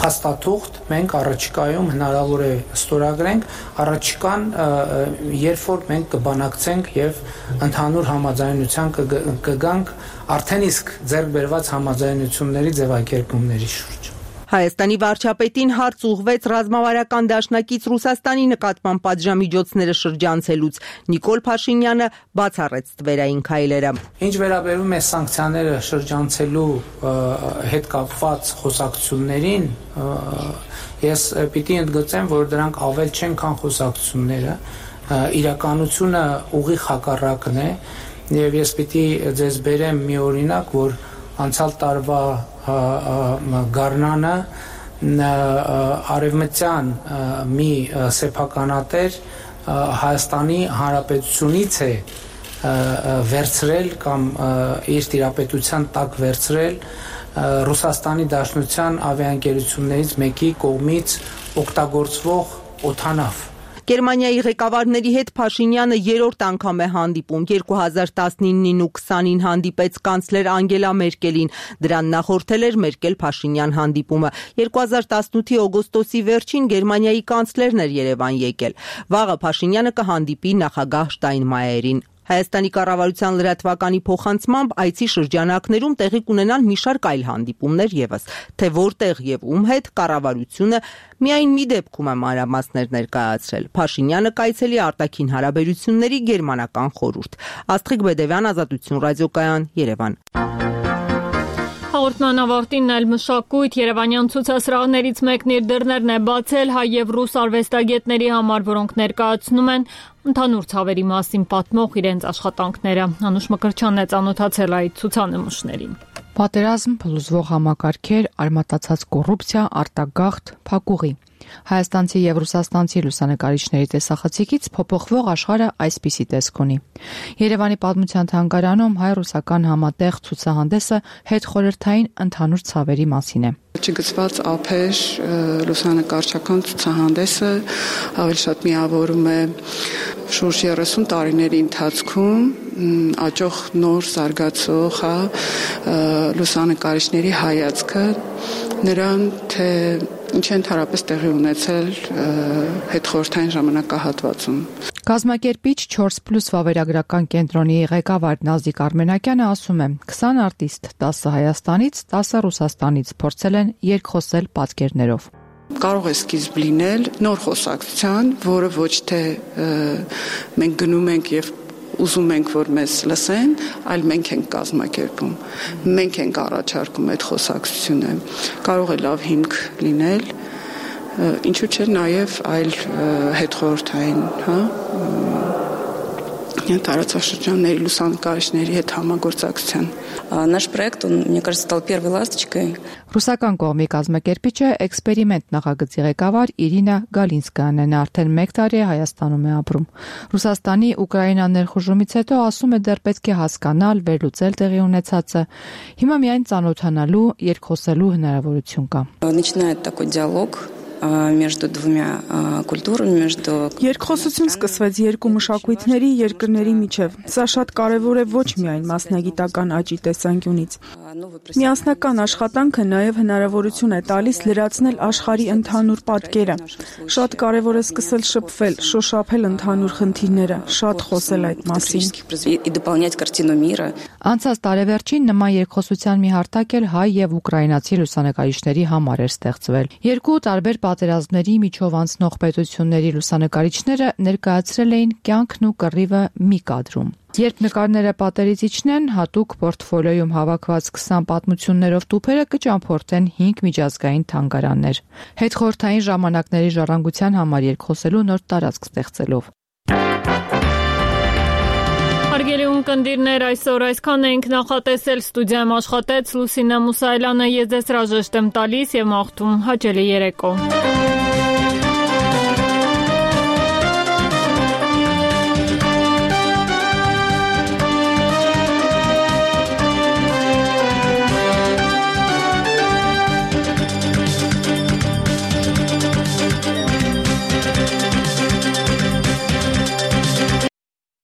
փաստաթուղթ մենք առաջիկայում հնարավոր է ստորագրենք, առաջիկան երբ որ մենք կբանակցենք եւ ընդհանուր համաձայնության կգանք արդեն իսկ ձեռք բերված համաձայնությունների ձևակերպումների շուրջ։ Հայաստանի վարչապետին հարց ուղղվեց ռազմավարական դաշնակից Ռուսաստանի նկատմամբ պատժամիջոցները շրջանցելուց։ Նիկոլ Փաշինյանը բացառեց թվերային քայլերը։ Ինչ վերաբերում է սանկցիաները շրջանցելու հետ կապված խոսակցություններին, ես պիտի ընդգծեմ, որ դրանք ավել չեն, քան խոսակցությունները։ Իրականությունը ուղիղ հակառակն է, եւ ես պիտի ձեզ բերեմ մի օրինակ, որ անցյալ տարվա գարնանը արևմտյան մի սեփականատեր Հայաստանի Հանրապետությունից է վերցրել կամ իր տիրապետության տակ վերցրել Ռուսաստանի Դաշնության ավիաընկերություններից մեկի կողմից օգտագործվող օդանավ։ Գերմանիայի ղեկավարների հետ Փաշինյանը երրորդ անգամ է հանդիպում։ 2019-ին ու 2020-ին հանդիպեց կանցլեր Անգելա Մերկելին։ Դրան նախորդել էր Մերկել-Փաշինյան հանդիպումը։ 2018-ի օգոստոսի վերջին Գերմանիայի կանցլերն էր Երևան եկել։ Վաղը Փաշինյանը կհանդիպի նախագահ Շտայնմայերին։ Հայաստանի կառավարության լրատվականի փոխանցմամբ այցի շրջանակներում տեղի կունենան մի շարք այլ հանդիպումներ եւս, թե որտեղ եւ ում հետ կառավարությունը միայն մի դեպքում է մանրամասներ ներկայացրել։ Փաշինյանը կայցելի արտաքին հարաբերությունների գերմանական խորհուրդ։ Աստղիկ Բեդևյան, Ազատություն ռադիոկայան, Երևան։ Հաղորդման ավարտին այլ մշակույթ Երևանյան ցուցասրահներից մեկն իր դռներն է բացել հայ եւ ռուս արվեստագետների համար, որոնք ներկայացնում են ընդհանուր ցավերի մասին պատմող իրենց աշխատանքները։ Անուշ Մկրտչյանն է ծանոթացել այդ ցուցանմուշներին։ Պատերազմ, փլուզվող համակարգեր, արմատացած կոռուպցիա, արտագաղթ, փակուղի։ Հայաստանցի եւ ռուսաստանցի լուսանկարիչների տեսախցիկից փոփոխվող աշխարհը այսպիսի տեսք ունի։ Երևանի պատմության թանգարանում հայ-ռուսական համատեղ ցուցահանդեսը հետխորհրդային ընդհանուր ցավերի մասին է։ Չգծված ափեր լուսանկարչական ցուցահանդեսը ավելի շատ միավորում է շուրջ 30 տարիների ընթացքում աճող նոր զարգացող լուսանկարիչների հայացքը նրան թե ինչ ընդհանրապես տեղի ունեցել հետխորհրդային ժամանակահատվածում։ Կազմակերպիչ 4+ վավերագրական կենտրոնի ղեկավար Նազիկ Արմենակյանը ասում է. 20 արտիստ 10 Հայաստանից, 10 Ռուսաստանից փորձել են երկխոսել պատկերներով։ Կարող է սկիզբ լինել նոր խոսակցության, որը ոչ թե մենք գնում ենք եւ ուզում ենք, որ մեզ լսեն, այլ մենք ենք կազմակերպում, մենք ենք առաջարկում այդ խոսակցությունը, կարող է լավ հիմք լինել, ինչու՞ չէ նաև այլ հետխորհրդային, տարածաշրջանների լուսանկարիչների հետ համագործակցության։ Наш проект, он, мне кажется, стал первой ласточкой. Ռուսական կողմի կազմակերպիչը էքսպերիմենտ նախագծի ղեկավար Իրինա Գալինսկայանն է, արդեն 1 տարի է Հայաստանում է ապրում։ Ռուսաստանի Ուկրաինա ներխուժումից հետո ասում է դեռ պետք է հասկանալ, վերլուծել տեղի ունեցածը։ Հիմա միայն ծանոթանալու, երկխոսելու հնարավորություն կա։ Начинает такой диалог между двумя культурами, между Երկխոսություն սկսվեց երկու մշակույթների երկրների միջև։ Սա շատ կարևոր է ոչ միայն մասնագիտական աճի տեսանկյունից։ Միասնական աշխատանքը նաև հնարավորություն է տալիս լրացնել աշխարհի ընդհանուր պատկերը։ Շատ կարևոր է սկսել շփվել, շոշափել ընդհանուր խնդիրները, շատ խոսել այդ մասին։ и дополнять картину мира. Անցած տարեվերջին նման երկխոսության մի հարթակ էլ հայ եւ ուկրաինացի լուսանկարիչների համար էր ստեղծվել։ Երկու տարբեր պատերազմների միջով անցնող պետությունների լուսանկարիչները ներկայացրել էին կյանքն ու կռիվը մի կադրում։ Երբ նկարները պատերից իջնեն, հատուկ պորտֆոլիոյում հավաքված 20 պատմություններով տուփերը կճամփորդեն 5 միջազգային թանգարաններ։ Հետխորհրդային ժամանակների ժառանգության համար երկխոսելու նոր տարածք ստեղծելով։ Հարգելի ունկնդիրներ, այսօր այսքան ենք նախատեսել, ստուդիայում աշխատեց Լուսինե Մուսայելյանը, ես ձեզ հրաժեշտ եմ տալիս եւ մաղթում հաճելի երեկո։